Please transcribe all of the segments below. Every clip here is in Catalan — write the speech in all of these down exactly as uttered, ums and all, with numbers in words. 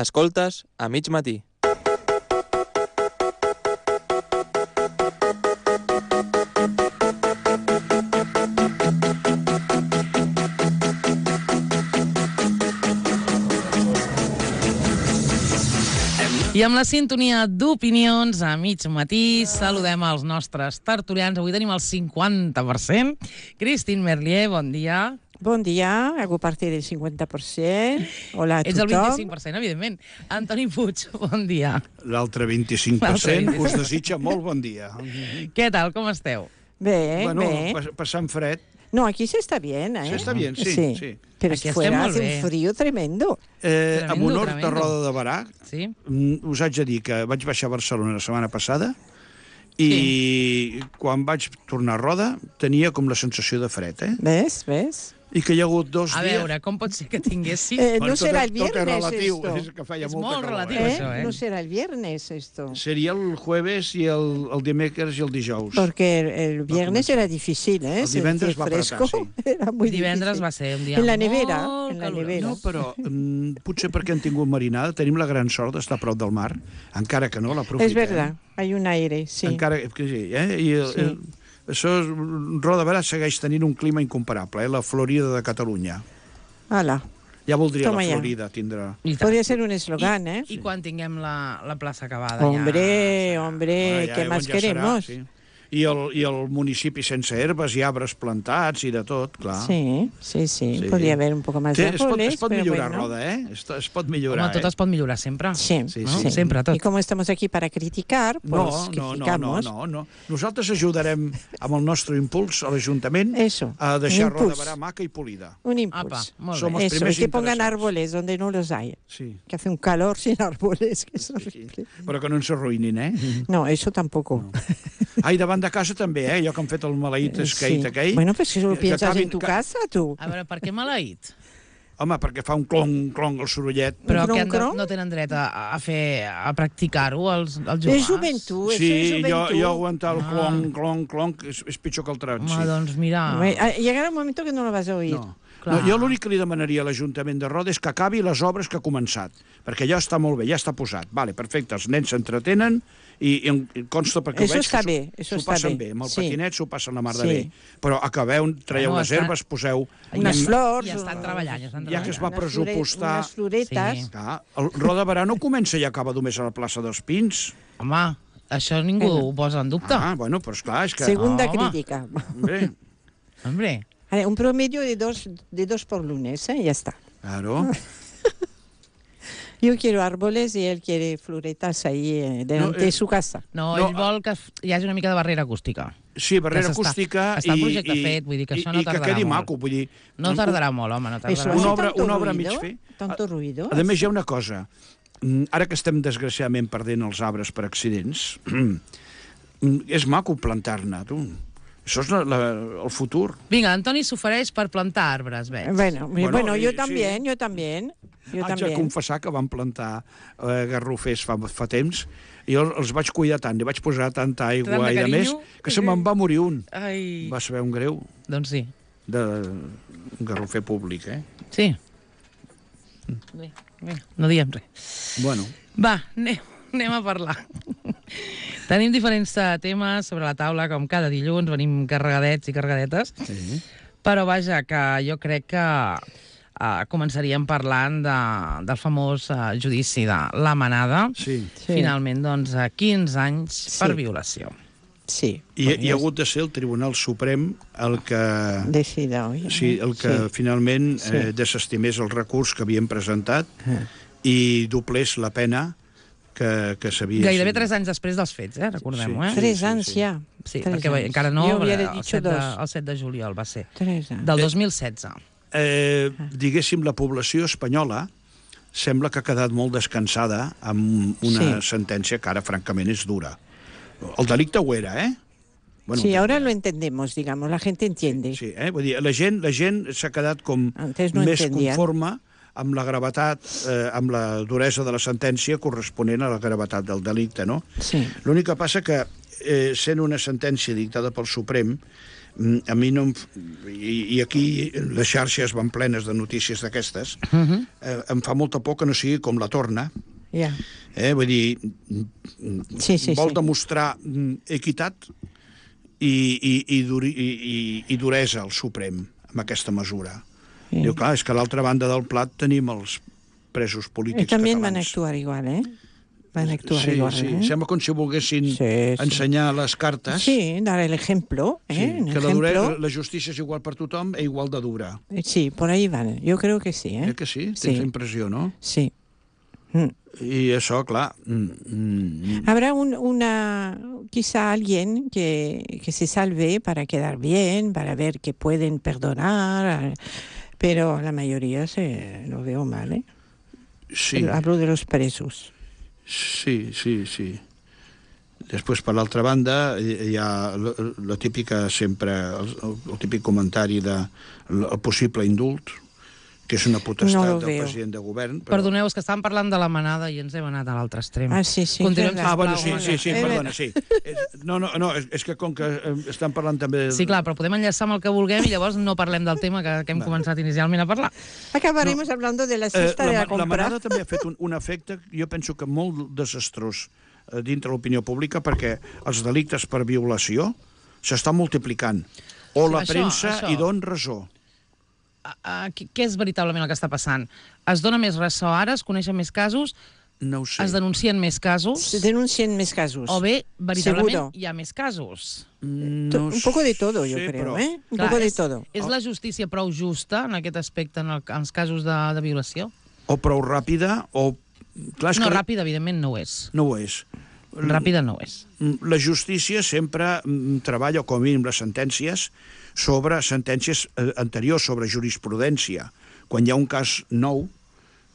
Escoltes a mig matí. I amb la sintonia d'opinions a mig matí saludem els nostres tertulians. Avui tenim el cinquanta per cent. Cristín Merlier, bon dia. Bon dia, hago parte del cinquanta per cent. Hola a tothom. Ets el vint-i-cinc per cent, evidentment. Antoni Puig, bon dia. L'altre vint-i-cinc per cent us desitja molt bon dia. Què tal, com esteu? Bé, bueno, bé. Passant fred. No, aquí se está bien, ¿eh? Se está bien, sí. Sí, sí. Pero Aquí fuera estem molt hace bé. un frío tremendo. Eh, amb Tremendo, honor tremendo. de Roda de Barà, Sí? mm, us haig de dir que vaig baixar a Barcelona la setmana passada i quan vaig tornar a Roda tenia com la sensació de fred, eh? ¿Ves? ¿Ves? I que hi ha hagut dos A dies... veure, com pot ser que tinguessis... Eh, Bueno, no será tot, el tot és viernes relatiu, esto. és que feia És molta molt calor, relatiu, eh? això, eh? No será el viernes esto. Seria el jueves i el, el dimecres i el dijous. Porque el, el viernes era difícil, ¿eh? El divendres Sentir va fresco. apretar, sí. Era muy Divendres difícil. va ser un dia En la molt nevera, en la calorós. nevera. No, però mm, potser perquè han tingut marinada, tenim la gran sort d'estar a prop del mar, encara que no l'aprofitem. Es verdad, hay un aire, sí. Encara que sí, eh? I el, Sí. el, això, és- Roda de Barà segueix tenint un clima incomparable, eh? La Florida de Catalunya. Hala. Ja voldria Toma la ja. Florida tindre... I tant. Podría ser un eslogan, ¿eh? I quan tinguem la, la plaça acabada Hombre, ja... hombre, Bueno, ja ¿qué on más ja queremos? Serà, sí. I el, I el municipi sense herbes i arbres plantats i de tot, clar. Sí, sí, sí, Sí. podría haber un poco más Sí, de es pot, árboles, es pot pero millorar, bueno. Roda, eh? Es, es pot millorar, Home, tot eh? es pot millorar sempre. Sí, Sí, No? sí. Sempre, tot. Y como estamos aquí para criticar, pues No, no, no, no, criticamos. no, no. Nosaltres ajudarem amb el nostre impuls a l'Ajuntament Eso, a deixar un Roda de impuls. Barà maca i polida. Un Apa, impulso. molt Som bé. els Eso, y primers que pongan interessats. árboles donde no los hay. Sí, Que hace un calor sin árboles, que es sí. horrible. Però que no ens arruïnin, eh? No, eso tampoco. Ai, davant de casa també, eh? Jo que han fet el maleït Eh, skate sí. aquell. Bueno, pues si lo que piensas acabin- en tu que- casa, tú. A veure, per què maleït? Home, perquè fa un clong, clong el sorollet. Però cron, que han de, cron? no tenen dret a, a fer, a practicar-ho, els, els joves? Es juventud, eso Sí, es jo, juventud. jo aguantar el Ah. clong, clong, clong, és, és pitjor que el tran, Home, sí. doncs mira... Hombre, ah, llegará un momento que no lo vas a oír. No. Clar. No, jo l'únic que li demanaria a l'Ajuntament de Roda és que acabi les obres que ha començat, perquè ja està molt bé, ja està posat. Vale, perfecte, els nens s'entretenen i, i em consta perquè Eso ho veig està que bé, s'ho- eso s'ho està passen bé. bé. Amb el Sí. patinet s'ho passen la mar de Sí. bé. Però acabeu, traieu Bueno, les està- herbes, poseu... Unes I- flors. I estan o- treballant, ja estan Ja que es va treballant. Unes flore- pressupostar... Unes floretes. Sí. Clar, el Roda de Barà no comença i acaba només a la plaça dels Pins. Home, això ningú Bueno. ho posa en dubte. Ah, bueno, però esclar, és que... Segunda Home. crítica. Hombre, Hombre, Vale, un promedio de dos, de dos por lunes, ¿eh? Ya está. claro. Yo quiero árboles y él quiere floretas ahí eh, delante No, eh, de su casa. no, No, ell vol que hi hagi una mica de barrera acústica. Sí, barrera Que s'està- acústica està el i, projecte i, fet, vull dir que i, això no i que tardarà quedi molt. maco, vull dir... No tardarà molt, home, no Eso tardarà hace Una molt. obra- tanto una obra ruido, mig fer. tanto ruido. A més, hi ha una cosa. Mm, Ara que estem, desgraciadament, perdent els arbres per accidents, mm, és maco plantar-ne, tu. Això és la, la, el futur. Vinga, Antoni s'ofereix per plantar arbres, veig. Bueno, bueno, Bueno, yo sí. también, yo también. Yo Haig de también. confessar que vam plantar eh, garrofers fa, fa temps i jo els vaig cuidar tant, li vaig posar tanta aigua Tant de i de més, carinyo. que se me'n va morir un. Ai, Va saber un greu doncs sí. de un garrofer públic, eh? Sí. Bé, bé, no diem res. Bueno, Va, anem, anem a parlar. Tenim diferents eh, temes sobre la taula, com cada dilluns, venim carregadets i carregadetes, sí. però vaja, que jo crec que uh, començaríem parlant de, del famós uh, judici de la Manada. Sí. Sí. Finalment, doncs, a quinze anys Sí. per violació. Sí. I hi ha hagut de ser el Tribunal Suprem el que... Decida hoy. Sí, el que Sí. finalment Sí. eh, desestimés el recurs que havien presentat i doblés la pena que, que s'havia... Gairebé tres anys després dels fets, eh? Recordem-ho, Sí. eh? Tres sí, anys sí. ja. Sí, Tres perquè anys. encara no, Jo hubiera el dicho set, de, dos. el set de juliol va ser. Tres anys. Del dos mil setze. Eh, diguéssim, la població espanyola sembla que ha quedat molt descansada amb una Sí. sentència que ara, francament, és dura. El delicte ho era, eh? Bueno, Sí, ahora lo entendemos, digamos, la gente entiende. Sí, eh? Vull dir, la gent la gent s'ha quedat com Antes no més entendían. conforme amb la gravetat, eh, amb la duresa de la sentència corresponent a la gravetat del delicte, no? Sí. L'únic que passa que, eh, sent una sentència dictada pel Suprem, Mm, A mi no... Em... f- I, I aquí les xarxes van plenes de notícies d'aquestes. Uh -huh. Eh, em fa molta por que no sigui com la Torna. Ja. Eh? Vull dir, Sí, sí, vol sí. demostrar mm, equitat i, i, i, duri, i, i, i duresa al Suprem amb aquesta mesura. Sí. Diu, clar, és que a l'altra banda del plat tenim els presos I polítics també van catalans. actuar igual, eh? Van actuar sí, igual, sí. eh? Sembla com si volguessin Sí, sí. ensenyar les cartes. Sí, dar el ejemplo, ¿eh? Sí, Un que la, dure, ejemplo. la justícia és igual per tothom e igual de dura. Sí, por ahí van. Yo creo que sí, ¿eh? Eh que sí? Tens Sí. la impressió, no? Sí. Mm. I això, clar... Mm, mm, Habrá un, una, quizá alguien que, que se salve para quedar bien, para ver que pueden perdonar, pero la mayoría se lo veo mal, ¿eh? sí, Hablo de los presos. sí, sí, sí. Després, per l'altra banda, hi ha la, la típica sempre, el, el típic comentari de el, el possible indult, que és una potestat No lo del veo. president de govern. Però... Perdoneu, és que estàvem parlant de la manada i ens hem anat a l'altre extrem. Ah, sí, sí. Continuem, verdad. Ah, bueno, sí, sisplau, sí, sí, Eh, perdona, sí. És- No, no, no, és, és que com que eh, estan parlant també... Sí, clar, però podem enllaçar amb el que vulguem i llavors no parlem del tema que, que hem Vale. començat inicialment a parlar. Acabaremos hablando de la Eh, cesta de la, la la compra. manada també ha fet un, un efecte, jo penso que molt desastrós eh, dintre l'opinió pública, perquè els delictes per violació s'estan multiplicant. O Sí, la això, premsa això. hi don raó. Uh, què què és veritablement el que està passant? Es dona més ressò ara, es coneixen més casos, No ho sé. es denuncien més casos, Se denuncien más casos. o bé, veritablement, Seguro. hi ha més casos. No Un poco de todo, yo sé, creo, però- ¿eh? Un Clar, poco de és, todo. És la justícia prou justa en aquest aspecte, en, el, en els casos de, de violació? O prou ràpida, o... Clar, és No, que ràpida, evidentment, no ho és. no ho és. Ràpida no ho és. La justícia sempre mm, treballa, com a mínim les sentències, sobre sentències eh, anteriors, sobre jurisprudència. Quan hi ha un cas nou,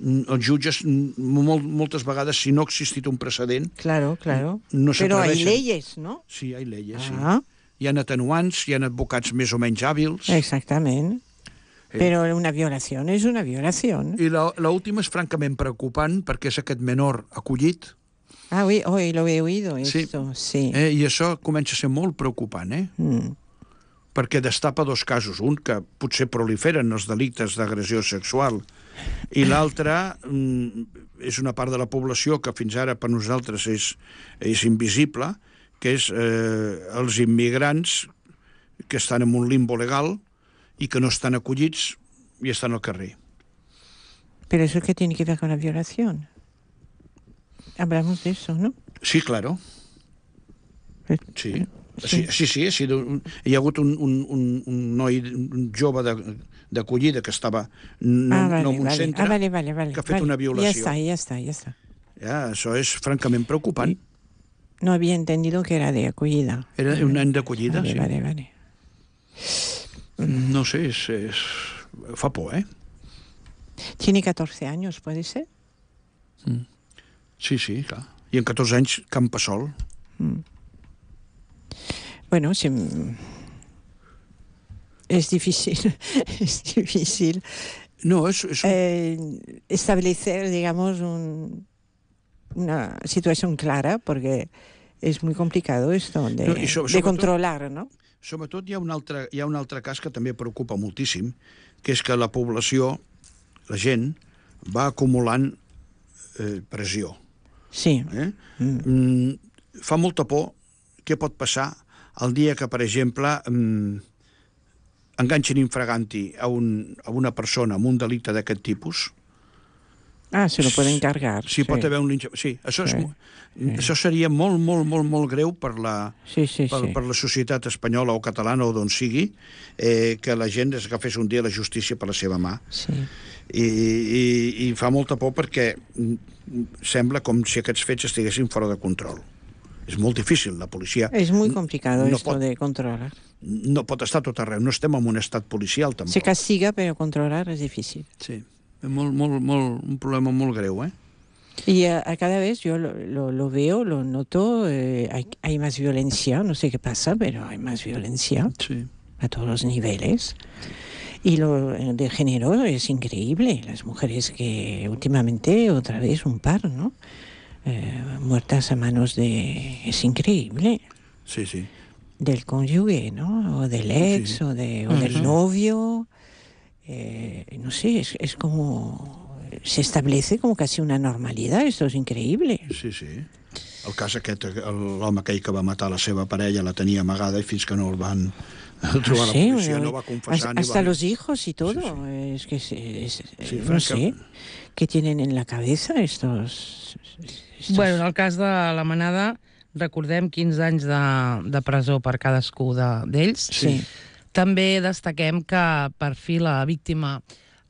mm, els jutges, mm, molt, moltes vegades, si no ha existit un precedent, Claro, claro. no Pero hay s'atreveixen. leyes, ¿no? Sí, hi ha lleis, sí. Ah, Hi ha atenuants, hi ha advocats més o menys hàbils. exactamente. Pero una violación es una violación. I la- l'última és francament preocupant perquè és aquest menor acollit, Ah, oui, hoy lo he oído Sí. esto, sí. eh, i això comença a ser molt preocupant, eh? Mm. perquè destapa dos casos. Un, que potser proliferen els delictes d'agressió sexual, i l'altre mm, és una part de la població que fins ara per nosaltres és, és invisible, que és eh, els immigrants que estan en un limbo legal i que no estan acollits i estan al carrer. Pero eso que tiene que ver con la violación. Hablamos de eso, ¿no? Sí, claro. Sí. Sí, sí, sí, ha sido un, hi ha hagut un, un, un, un noi un jove de- d'acollida que estava no, ah, vale, no en un vale. centre, Ah, vale, vale, vale. que ha fet vale. una Ya violació. está, ya está, ya está. Ja, això és francament preocupant. No había entendido que era de acogida. Era un nen d'acollida, Vale, sí. vale, vale. No sé, és, és... fa por, eh? Tiene catorce años, ¿puede ser? Sí, sí, clar. I en catorze anys, campa sol. Bueno, sí, es difícil, es difícil No, és, és un... eh, establecer, digamos, un, una situación clara, porque es muy complicado esto de, No, y so- de sobre controlar, ¿no? Sobretot hi ha, un altre, hi ha un altre cas que també preocupa moltíssim, que és que la població, la gent, va acumulant eh, pressió. Sí. Eh? Mm. Fa molta por què pot passar el dia que, per exemple, mm, enganxen infraganti a, un, a una persona amb un delicte d'aquest tipus. Ah, se lo pueden cargar. Sí, pot haver un linxa... Sí, això, és, Sí. sí. això seria molt, molt, molt, molt greu per la, Sí, sí, per, sí. per la societat espanyola o catalana o d'on sigui, eh, que la gent es agafés un dia la justícia per la seva mà. Sí. I, i, i fa molta por perquè mm, sembla com si aquests fets estiguessin fora de control. És molt difícil, la policia Es muy complicado no esto pot, de controlar. no pot estar a tot arreu, no estem en un estat policial tampoc. Se castiga, pero controlar es difícil. Sí, és molt, molt, molt, un problema molt greu, eh? Y a, a cada vez yo lo, lo, lo veo, lo noto, eh, hay, hay más violencia, no sé qué pasa, pero hay más violencia Sí. a todos los niveles. Y lo eh, de género es increíble. Las mujeres que últimamente, otra vez un par, ¿no? Eh, muertas a manos de... Es increíble. Sí, sí. del cónyuge, ¿no? O del ex, Sí. o, de, o del novio. Eh, no sé, es, es como... Se establece como casi una normalidad, esto es increíble. Sí, sí. El cas aquest, el- l'home aquell que va matar la seva parella la tenia amagada i fins que no el van trobar la Sí, policia bueno, no va confessar ni hasta va... los hijos y todo. Sí, sí. Es que es, es- Sí, no franca- sé qué tienen en la cabeza estos... estos- Bueno, en el cas de la Manada, recordem quinze anys de, de presó per cadascú de- d'ells. Sí. També destaquem que per fi la víctima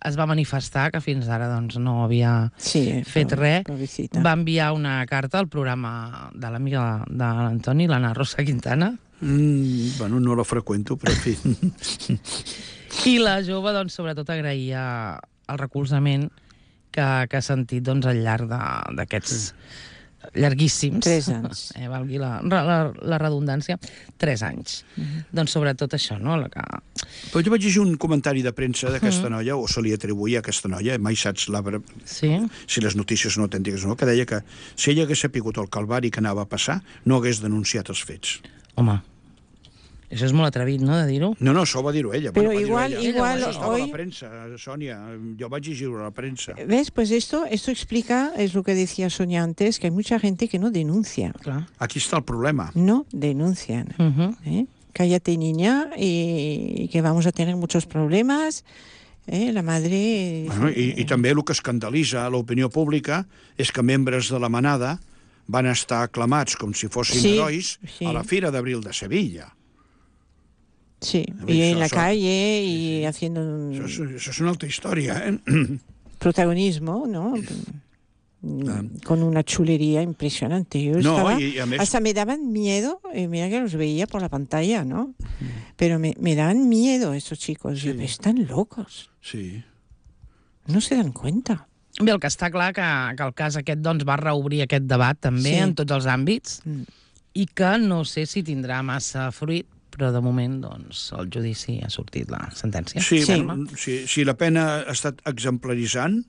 es va manifestar, que fins ara doncs, no havia Sí, eh, fet pobre- res. pobrecita. Va enviar una carta al programa de l'amiga de l'Antoni, l'Anna Rosa Quintana, Mm, bueno, no la freqüento, però en fi... i la jove, doncs, sobretot agraïa el recolzament que, que ha sentit doncs, al llarg de- d'aquests llarguíssims. Tres anys. Eh, valgui la, la, la redundància. Tres anys. Mhm. Doncs sobretot això, no? La que... Però jo vaig llegir un comentari de premsa d'aquesta noia, o se li atribuïa a aquesta noia, mai saps la, Sí? si les notícies són autèntiques o no, que deia que si ella hagués sapigut el calvari que anava a passar, no hagués denunciat els fets. Home, això és molt atrevit, no?, de dir-ho. No, no, això ho va dir-ho ella. Pero va dir-ho igual- ella. igual Això estava a hoy- la premsa, Sònia, jo vaig llegir-ho a la premsa. ¿Ves? Pues esto, esto explica, es lo que decía Sonia antes, que hay mucha gente que no denuncia. Clar. Aquí està el problema. No denuncian. Uh -huh. ¿eh? Cállate, niña, y, y que vamos a tener muchos problemas. ¿eh? La madre... Bueno, i, I també el que escandalitza a l'opinió pública és que membres de la manada van estar aclamats com si fossin Sí, herois sí. a la Fira d'Abril de Sevilla. Sí, ver, y en eso- la eso- calle y haciendo un Això és, això és una altra història, eh? protagonismo, ¿no? Mm, Con una chulería impresionante. Yo No, estaba- y- y a més- hasta me daban miedo, y mira que los veía por la pantalla, ¿no? Pero me, me daban miedo estos chicos. Yo, Sí. están locos, Sí. no se dan cuenta. Bé, el que està clar que, que el cas aquest doncs, va reobrir aquest debat també Sí. en tots els àmbits Mm. i que no sé si tindrà massa fruit, però de moment doncs, el judici ha sortit la sentència. Sí, Sí. bueno, si, si la pena ha estat exemplaritzant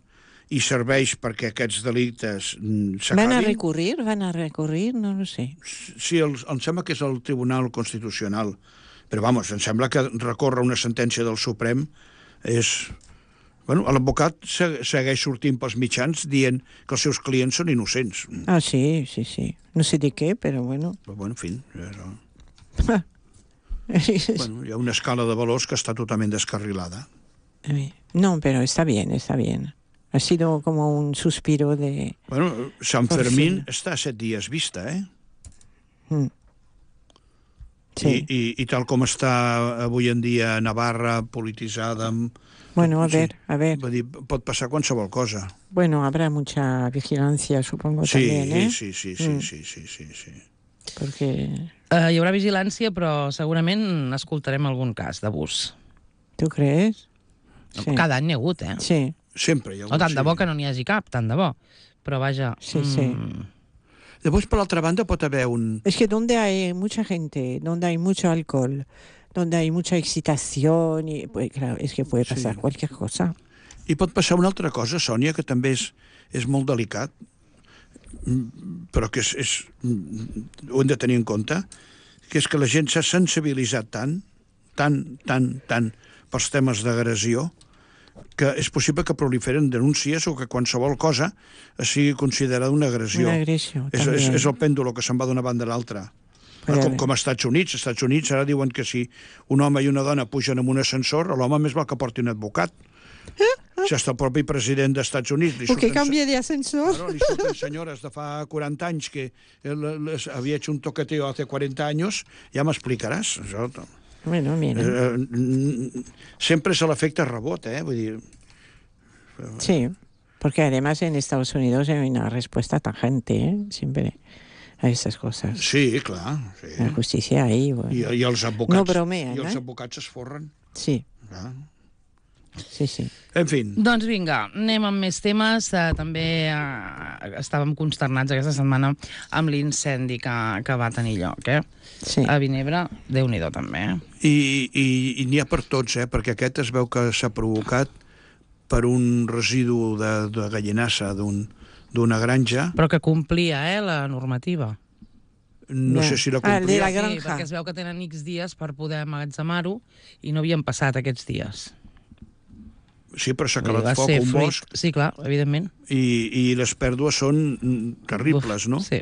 i serveix perquè aquests delictes mm, ¿Van a s'acabin, recurrir? ¿Van a recurrir? No lo sé. sí, el, em sembla que és el Tribunal Constitucional, però vamos, em sembla que recórrer una sentència del Suprem és... Bueno, l'advocat se- segueix sortint pels mitjans dient que els seus clients són innocents. Ah, sí, sí, sí. No sé de qué, pero bueno. Però, bueno, en fi, però... bueno, hi ha una escala de valors que està totalment descarrilada. No, pero está bien, está bien. Ha sido como un suspiro de... Bueno, Sant Per Fermín fi. està a set dies vista, eh? Mm. I, Sí. i, I tal com està avui en dia Navarra, polititzada... Amb... Bueno, a Sí. ver, a ver. Vull dir, pot passar qualsevol cosa. Bueno, habrá mucha vigilancia, supongo, Sí, también, ¿eh? sí, sí, sí, Mm. sí, sí, sí, sí. Porque... Uh, hi haurà vigilància, però segurament escoltarem algun cas d'abús. ¿Tú crees? Sí. Cada any n'hi ha hagut, eh? Sí, Sempre hi ha No tant de sí. bo que no n'hi hagi cap, tant de bo. Però vaja... Sí, sí. Llavors, per l'altra banda, pot haver un... es que donde hay mucha gente, donde hay mucho alcohol, donde hay mucha excitación, y, pues, claro, es que puede pasar Sí. cualquier cosa. I pot passar una altra cosa, Sònia, que també és, és molt delicat, mm, però que és, és, mm, ho hem de tenir en compte, que és que la gent s'ha sensibilitzat tant, tant, tant, tant pels temes d'agressió, que és possible que proliferen denúncies o que qualsevol cosa sigui considerada una agressió. Una agresión És, és, también. és el pèndol que se'n va d'una banda a l'altra. Puede Com, haber. com als Estats Units. Als Estats Units ara diuen que si un home i una dona pugen en un ascensor, l'home més val que porti un advocat. Si hasta el propi president dels Estats Units li O que surten- cambie de ascensor. Claro, li surten senyores de fa quaranta anys que el- les havia hecho un toqueteo hace cuarenta años, ja m'explicaràs. Això, Bueno, mira. eh, mm, sempre és l'efecte rebot, eh? Vull dir, Sí, porque además en Estados Unidos hay una respuesta tajante, ¿eh? Siempre a estas cosas. sí, clar. Sí. La justicia ahí, bueno. I, I els advocats, No bromean, i els eh? advocats es forren. Sí, Clar. sí, sí. En fi, Doncs vinga, anem amb més temes. Uh, també uh, estàvem consternats aquesta setmana amb l'incendi que, que va tenir lloc, eh? Sí. A Vinebre, Déu-n'hi-do també, eh? i, i, i n'hi ha per tots, eh? Perquè aquest es veu que s'ha provocat per un residu de, de gallinassa d'un- d'una granja. Però que complia, eh, la normativa. no Ja. sé si la Ah, el de complia. la Sí, granja. perquè es veu que tenen X dies per poder emmagatzemar-ho i no havien passat aquests dies. Sí, però s'ha Vull dir, acabat va foc, ser un fruit- bosc, Sí, clar, evidentment. i, i les pèrdues són mm, terribles, no? Sí.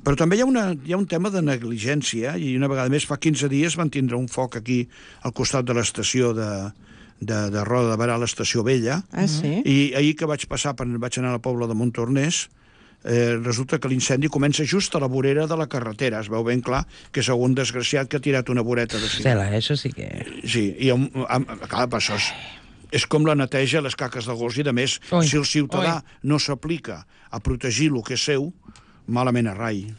Però també hi ha, una, hi ha un tema de negligència, i una vegada més, fa quinze dies van tindre un foc aquí al costat de l'estació de, de, de Roda de Barà, l'estació vella, Ah, sí? i ahir que vaig passar, per, vaig anar a la Pobla de Montornès, eh, resulta que l'incendi comença just a la vorera de la carretera. Es veu ben clar que és algun desgraciat que ha tirat una voreta de ciment. Cela, això sí que... Sí, i amb, amb, clar, per això és, és com la neteja les caques de gos, i de més, Ui, si el ciutadà ui. no s'aplica a protegir el que és seu, malament a rai.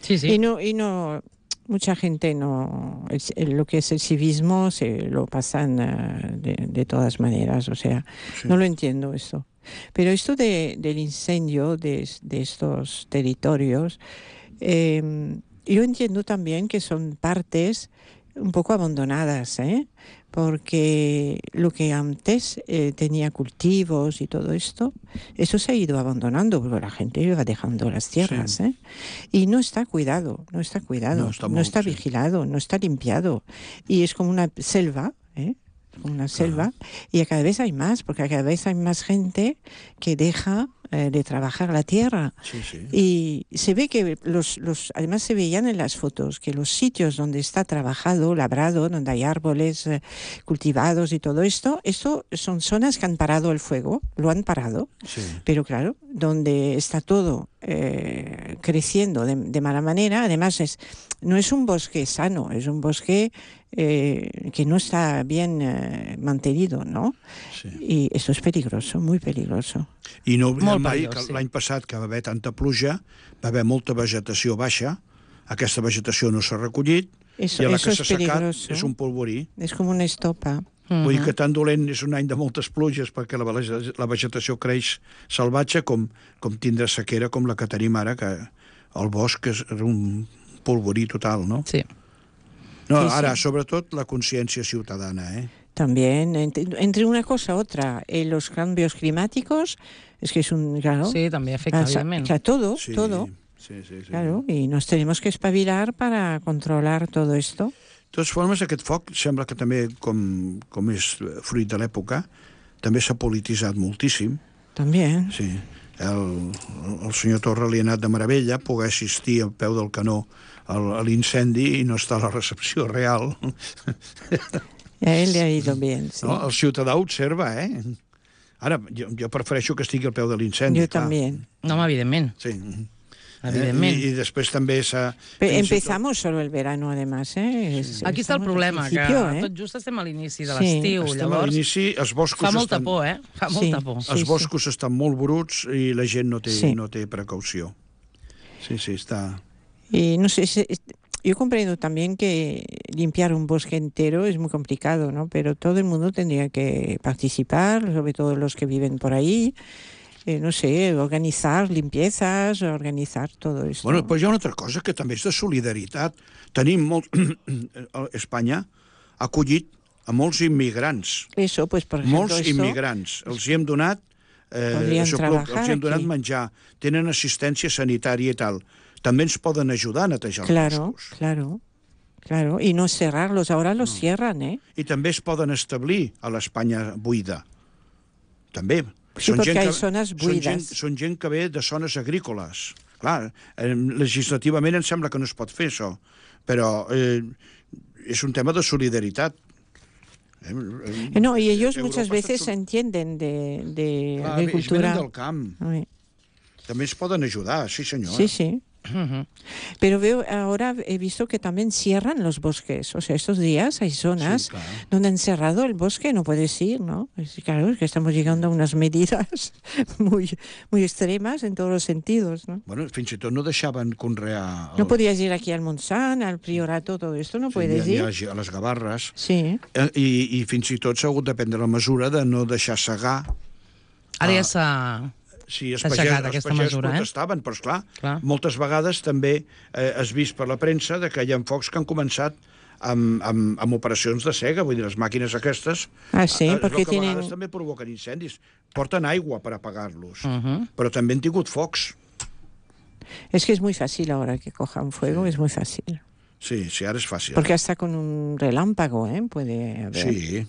Sí, sí. Y no, y no, mucha gente no, el- el- lo que es el civismo se lo pasan eh, de, de todas maneras, o sea, Sí. no lo entiendo esto. Pero esto de, del incendio de, de estos territorios, eh, yo entiendo también que son partes un poco abandonadas, ¿eh? Porque lo que antes eh, tenía cultivos y todo esto, eso se ha ido abandonando porque la gente iba dejando las tierras, Sí. ¿eh? Y no está cuidado, no está cuidado, No, no está está, muy- sí. vigilado, no está limpiado. Y es como una selva, ¿eh? Como una selva, y cada vez hay más, porque cada vez hay más gente que deja eh, de trabajar la tierra. Sí, sí. Y se ve que los, los, además se veían en las fotos que los sitios donde está trabajado, labrado, donde hay árboles eh, cultivados y todo esto, esto son zonas que han parado el fuego, lo han parado, Sí. pero claro, donde está todo eh, creciendo de, de mala manera, además es, no es un bosque sano, es un bosque eh, que no está bien eh, mantenido, ¿no? Sí. Y eso es peligroso, muy peligroso. I no oblidem Molt mai perillós, que sí. l'any passat, que va haver tanta pluja, va haver molta vegetació baixa, aquesta vegetació no s'ha recollit, Eso, i a la eso que es s'ha secat peligroso. és un polvorí. Es como una estopa. Vull dir que tan dolent és un any de moltes pluges perquè la, vege- la vegetació creix salvatge com, com tindre sequera com la que tenim ara, que el bosc és un polvorí total, no? Sí. No, Sí, sí. ara, sobretot, la consciència ciutadana, eh? También, entre, entre una cosa y otra, eh, los cambios climáticos, es que es un, claro, Sí, també afecta, o sea, evidentment. o sea, todo, Sí, todo, sí, sí, sí. claro, y nos tenemos que espabilar para controlar todo esto. De totes formes, aquest foc sembla que també, com, com és fruit de l'època, també s'ha polititzat moltíssim. También. Sí. El, el senyor Torra li ha anat de meravella poder assistir al peu del canó al- a l'incendi i no estar a la recepció real. A él le ha ido bien, sí. No? El ciutadà observa, eh? Ara, jo, jo prefereixo que estigui al peu de l'incendi. Yo clar. también. No, home, evidentment. Sí. Evidentment. Eh? I, I després també s'ha... Pe- fins i tot- empezamos solo el verano, además, ¿eh? Es- Aquí està el estamos al problema, que principio, ¿eh? tot just estem a l'inici de Sí. l'estiu, Estem a llavors l'inici, els boscos fa molta estan... por, eh? Fa Sí. molta por. Sí, Els sí. boscos estan molt bruts i la gent no té, Sí. no té precaució. Sí, sí, està... Y no sé, se- yo comprendo también que limpiar un bosque entero es muy complicado, ¿no? Pero todo el mundo tendría que participar, sobre todo los que viven por ahí. Eh, no sé, organizar limpiezas, organizar todo esto. Bueno, però hi ha una altra cosa que també és de solidaritat. Tenim molt... Espanya ha acollit a molts immigrants. Eso, pues por ejemplo, Molts esto, immigrants. Els hi hem donat... Eh, Podrien això, treballar els hi hem donat aquí. menjar, tenen assistència sanitària i tal. També ens poden ajudar a netejar Claro, els boscos. claro, claro. Y no cerrarlos, ahora los cierran, ¿eh? I també es poden establir a l'Espanya buida. També. Sí, perquè hi ha zones són buides. gent, són gent que ve de zones agrícoles. Clar, eh, legislativament em sembla que no es pot fer això, però eh, és un tema de solidaritat. Eh, Eh, No, y ellos Europa muchas està veces sol- entienden de, de Clar, ells agricultura. venen del camp. Ay, També ens poden ajudar, sí senyor. Sí, sí. Pero veo ahora, he visto que también cierran los bosques. O sea, estos días hay zonas Sí, claro. donde han cerrado el bosque, no puedes ir, ¿no? Es, claro, es que estamos llegando a unas medidas muy, muy extremas en todos los sentidos, ¿no? Bueno, fins i tot no deixaven conrear... el- No podías ir aquí al Montsant, al Priorato, todo esto, no Sí, puedes ni a, ir. ni a les Gavarres. Sí. Eh, I, I fins i tot s'ha hagut de prendre la mesura de no deixar segar. Ara ja Ah. s'ha... Sí, els S'ha pagès, aixecat els aquesta pagès mesura, eh? protestaven, però esclar, Clar. moltes vegades també eh, has vist per la premsa de que hi ha focs que han començat amb, amb, amb operacions de sega, vull dir, les màquines aquestes Ah, sí, eh, es perquè veu que a tienen- vegades també provoquen incendis. Porten aigua per apagar-los, Uh -huh. però també han tingut focs. Es que es muy fácil ahora que coja un fuego, Sí. es muy fácil. Sí, sí, ara és fàcil. Porque hasta con un relámpago, ¿eh? Puede haber. Sí.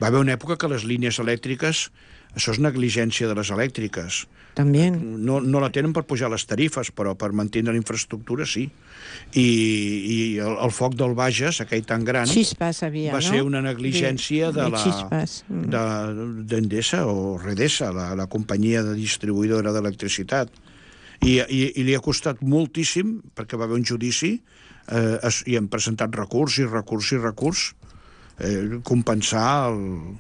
Va haver una època que les línies elèctriques, això és negligència de les elèctriques. También. No, no la tenen per pujar les tarifes, però per mantenir la infraestructura sí. I, i el, el foc del Bages, aquell tan gran, Chispas había, va ¿no? ser una negligència de, de la chispas. Mm. de- d'Endesa o Redesa, la, la companyia de distribuïdora d'electricitat. I, i, I li ha costat moltíssim, perquè va haver un judici, eh, es, i han presentat recurs i recurs i recurs, eh, compensar el,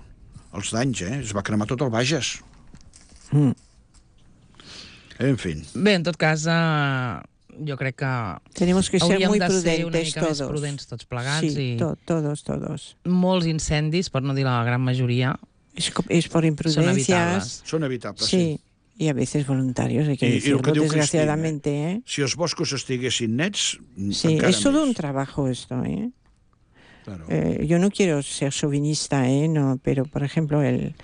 els danys, eh? Es va cremar tot el Bages. Mm. En fi. Bé, en tot cas, eh, jo crec que Tenemos que ser hauríem muy de ser una prudentes mica més todos. prudents tots plegats Sí, i to- todos, todos. molts incendis, per no dir la gran majoria, Es, co- es por són imprudencias. evitables. Són evitables, sí. Sí. Y a veces voluntarios, hay que Y- y decirlo, lo que diu desgraciadamente, ¿eh? Si els boscos estiguessin nets, Sí, encara es todo més. un trabajo esto, ¿eh? Claro. Eh, yo no quiero ser chauvinista, ¿eh? No, pero, por ejemplo, el,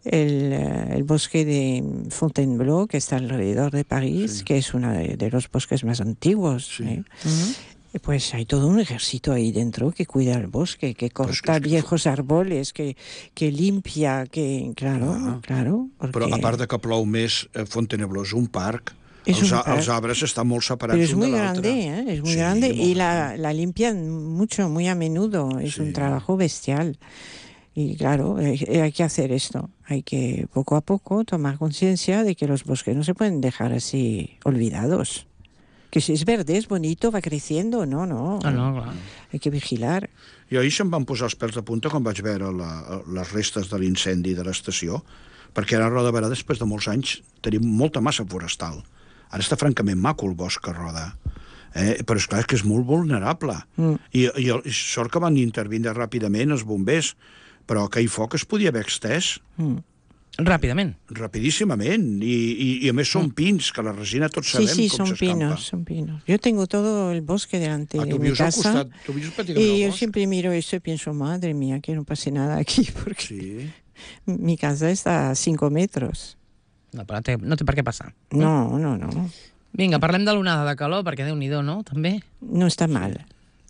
el, eh, el bosque de Fontainebleau, que está alrededor de París, Sí. que es uno de, de los bosques más antiguos, Sí. ¿eh? Mhm. Eh, Pues hay todo un ejército ahí dentro que cuida el bosque, que Pues corta es que- viejos árboles, que, que limpia, que... Claro, Ah. claro. Porque... Però a part de que plou més, eh, Fontainebleau és un parc, És els, un a- parc. els arbres estan molt separats Pero es un muy de l'altre. grande, ¿eh? Es muy Sí, grande molt y la, gran. la limpian mucho, muy a menudo. Es Sí. un trabajo bestial. Y claro, eh, hay que hacer esto. Hay que poco a poco tomar conciencia de que los bosques no se pueden dejar así olvidados. Que si es verde, es bonito, va creciendo. No, no. Ah, no, clar. Hay que vigilar. I ahir se'm van posar els pèls de punta quan vaig veure la, les restes de l'incendi de l'estació, perquè ara a Roda de Berà, després de molts anys, tenim molta massa forestal. Ara està francament maco el bosc a Roda. Eh? Però és clar és que és molt vulnerable. Mm. I, i, i sort que van intervindre ràpidament els bombers, però aquell foc es podia haver extès Mm. Ràpidament. rapidíssimament. I, i, i a més són pins, que la resina tots Sí, sabem sí, com son s'escampa. pinos, son pinos. Yo tengo todo el bosque delante Ah, de tu mi vius al casa. costat, tu vius pràcticament Y yo al bosc. siempre miro esto y pienso, madre mía, que no pase nada aquí, porque Sí. mi casa está a cinco metros. No, però té, no té per què passar. No, no, no. Vinga, parlem de l'onada de calor, perquè Déu-n'hi-do, no? També. No está mal.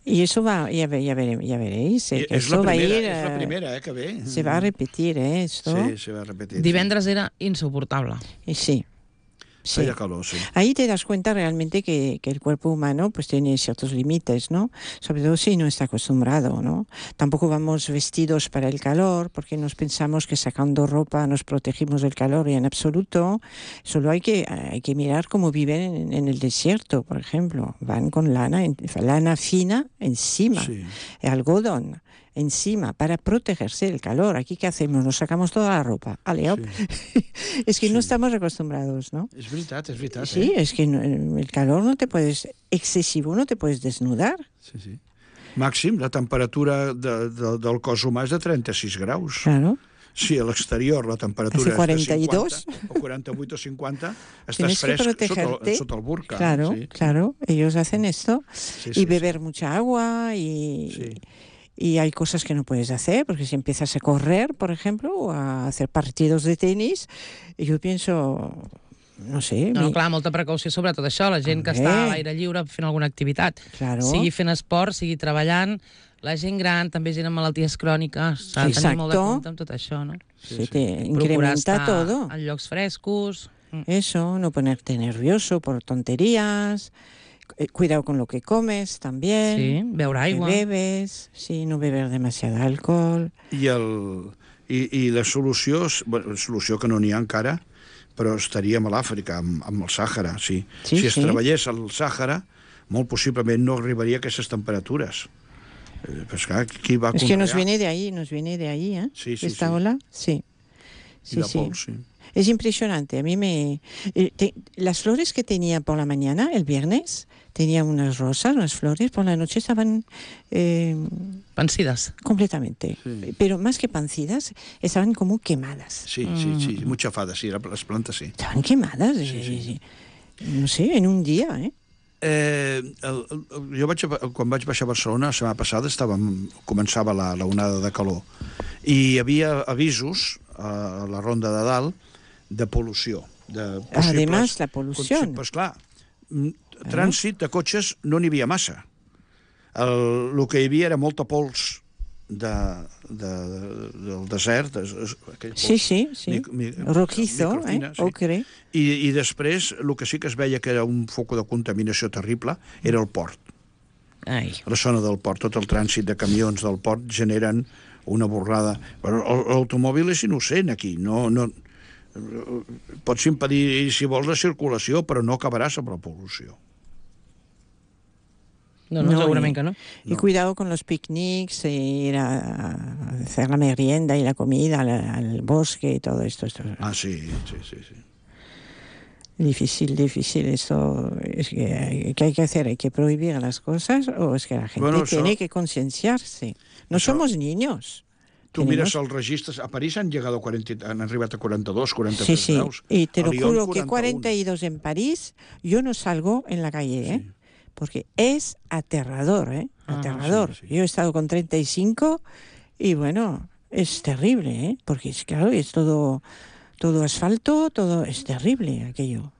Y eso va, ya, ve- ya, vere- ya veréis, eh, I que és la esto va a primera, ir, és la eh, primera, eh, que ve. se va a repetir, ¿eh? Esto. Sí, se va a repetir. Divendres era insuportable. Y sí. Sí. Feia calor, sí. Ahí te das cuenta realmente que, que el cuerpo humano pues tiene ciertos límites, ¿no? Sobre todo si no está acostumbrado, ¿no? Tampoco vamos vestidos para el calor porque nos pensamos que sacando ropa nos protegimos del calor y en absoluto. Solo hay que, hay que mirar cómo viven en, en el desierto, por ejemplo. Van con lana, en- lana fina encima, Sí. algodón encima para protegerse del calor. Aquí, ¿qué hacemos? Nos sacamos toda la ropa. Ale, op. Es que no Sí. estamos acostumbrados, ¿no? És veritat, és veritat. Sí, Eh? es que no- el calor no te puedes, excesivo, no te puedes desnudar. Sí, sí. Màxim, la temperatura de, de, del cos humà és de trenta-sis graus. Claro. Si a l'exterior la temperatura Hace és cuarenta y de dos. cinquanta, o quaranta-vuit o cinquanta, estàs Tienes que fresc sota protegerte. el, sota el burca. Claro, sí. claro. Ellos hacen esto. Sí, Y sí, beber mucha agua y... Sí. Y hay cosas que no puedes hacer, porque si empiezas a correr, por ejemplo, o a hacer partidos de tenis, yo pienso, no sé... No, mi- clar, molta precaució sobre tot això. La gent que També. està a l'aire lliure fent alguna activitat, Claro. sigui fent esport, sigui treballant, la gent gran, també gent amb malalties cròniques, s'ha de tenir molt de Exacto. compte amb tot això, no? se te Procurar incrementa estar todo. en llocs frescos. Mm. Eso, no ponerte nervioso por tonterías. Eh, Cuidado con lo que comes también. Sí, beure Que aigua. bebes, sí, no beber demasiado alcohol. I, el, i, I la solució, és- bueno, solució que no n'hi ha encara, però estaríem a l'Àfrica, amb, amb el Sàhara, sí. Sí, si es sí. treballés al Sàhara, molt possiblement no arribaria a aquestes temperatures. Eh, Però és clar, qui va Es que nos conrear? viene de ahí, nos viene de ahí, ¿eh? Sí, sí, Esta sí. ola, sí. I Sí, de sí. pols, sí. Es impresionante. A mí me... eh, te- las flores que tenía por la mañana, el viernes, tenía unas rosas, unas flores, por la noche estaban eh, Pensides. completamente. Sí. Pero más que pancidas, estaban como quemadas. Sí, sí, sí, mucha fada, sí, les plantes sí. Estaban quemadas, Sí, eh, sí. eh, no sé, en un día, ¿eh? Eh, el, el, jo vaig, a- quan vaig baixar a Barcelona la setmana passada estàvem, començava la, la onada de calor i hi havia avisos a la ronda de dalt de pol·lució, de possibles... Además, la pol·lució. Pues clar, Trànsit de cotxes no n'hi havia massa. El, el que hi havia era molta pols de, de, de, del desert. Pols, sí, sí, sí. Mi, mi, rojizo, eh? Sí. Ocre. I, I després, el que sí que es veia que era un foc de contaminació terrible era el port. Ai. La zona del port, tot el trànsit de camions del port generen una borrada. Però l'automòbil és innocent aquí, no... no pots impedir, si vols, la circulació, però no acabaràs amb la pol·lució. No, no, No, segurament y- que no. Y No. cuidado con los picnics, e ir a hacer la merienda y la comida al, al bosque y todo esto. Esto es Ah, sí, sí, sí. sí. difícil, difícil. Esto es que, ¿qué hay que hacer? ¿Hay que prohibir las cosas o es que la gente Bueno, eso- tiene que concienciarse? No eso- somos niños. Tu Tenemos- mires els registres, a París han, llegado a quaranta, han arribat a quaranta-dos, Sí, quaranta-tres sí. graus. Y te A lo Lyon, juro que quaranta-un. cuarenta y dos en París, yo no salgo en la calle, ¿eh? Sí. Porque es aterrador, ¿eh? Ah, Aterrador. sí, sí. Yo he estado con treinta y cinco y bueno, es terrible, ¿eh? Porque es claro, es todo, todo asfalto, todo es terrible aquello.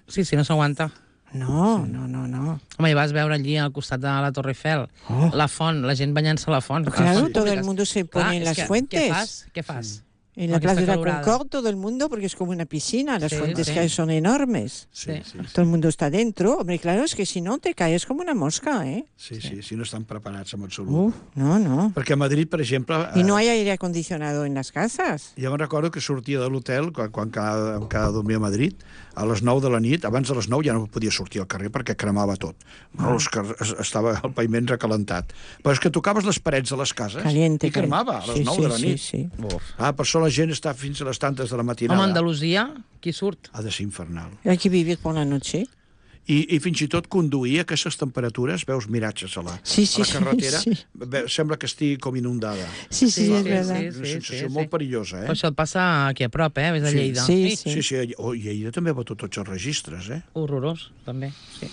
Sí, sí, no s'aguanta. No, no, no, no. Home, i vas veure allí al costat de la Torre Eiffel, Oh. la font, la gent banyant-se a la font. a les Claro, fonts todo el públiques. mundo se Clar, pone en és las que, fuentes. Què fas? Què fas? En la Con Plaza de esta la calorada. Concorde todo el mundo, porque es como una piscina, las Sí, fuentes sí. que hay son enormes. Sí, sí, sí. Todo el mundo está dentro. Hombre, claro, es que si no te caes como una mosca, ¿eh? Sí, sí, sí, no estan preparats en absolut. Uf, no, no. Perquè a Madrid, per exemple... Y no eh, hay aire acondicionado en las casas. Jo me'n recordo que sortia de l'hotel, quan, quan cada, em quedava a dormir a Madrid, a les nou de la nit, abans de les nou ja no podia sortir al carrer perquè cremava tot. No, els car- es- estava el paviment recalentat. Però és que tocaves les parets de les cases Caliente. i cremava a les sí, nou sí, de la sí, nit. sí. Uf. Ah, per això la gent està fins a les tantes de la Home, matinada. Andalusia, qui surt? Ha de ser infernal. Hay que vivir por la noche. I, i fins i tot conduir a aquestes temperatures, veus miratges a la, Sí, sí, a la carretera, sí, sí. ve, sembla que estigui com inundada. Sí, sí, Sí, es sí, verdad. sí. És una sensació molt perillosa, eh? Però això et passa aquí a prop, eh? Ves a Sí. Lleida. Sí, Ei, sí. Sí, sí, oh, i Lleida també va tot tots els registres, eh? Horrorós, també. Sí.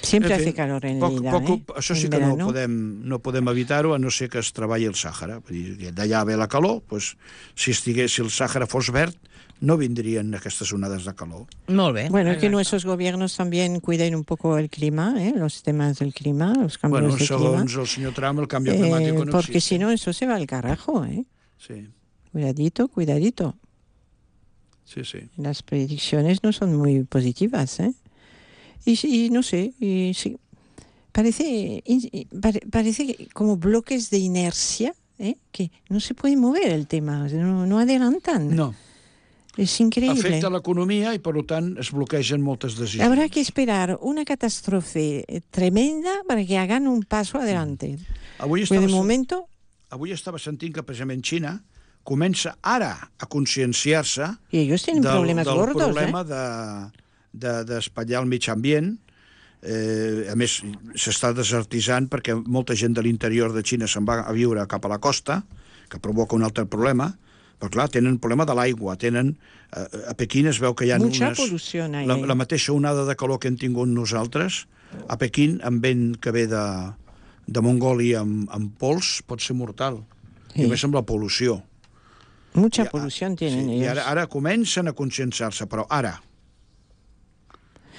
Siempre En fi, hace calor en poc, Lleida, poc, ¿eh? Això sí En que no verano. podem, no podem evitar-ho, a no ser que es treballi el Sàhara. Vull dir, d'allà ve la calor, doncs, si, estigués, si el Sàhara fos verd, no vindrien aquestes onades de calor. Molt bé. Bueno, que Exacte. nuestros gobiernos también cuiden un poco el clima, ¿eh? Los temas del clima, los cambios Bueno, de clima. segons el senyor Trump, el canvi Eh, climàtic no porque existe. si no, eso se va al carajo, ¿eh? Sí, Cuidadito, cuidadito. sí, sí. Las predicciones no son muy positivas, ¿eh? Y, y no sé, y sí, parece, y- pare- parece que como bloques de inercia, ¿eh? Que no se puede mover el tema, no, no adelantan. No, Es increíble. afecta l'economia i, per tant, es bloquegen moltes decisions. Habrá que esperar una catástrofe tremenda para que hagan un paso adelante. Avui Pero estava, de momento, avui estava sentint que, precisament, Xina comença ara a conscienciar-se y ellos tienen del, problemas del gordos, problema ¿eh? de, de, d'espatllar el mig ambient. Eh, a més, s'està desertitzant perquè molta gent de l'interior de Xina se'n va a viure cap a la costa, que provoca un altre problema, però clar, tenen problema de l'aigua, tenen... Eh, a Pequín es veu que hi ha Mucha unes... polución hay La, ahí. la mateixa onada de calor que hem tingut nosaltres, a Pequín, amb vent que ve de, de Mongòlia amb, amb pols, pot ser mortal. Sí. I a més amb la pol·lució. Mucha I- polución tienen sí, I ellos. ara, ara comencen a conscienciar-se, però ara.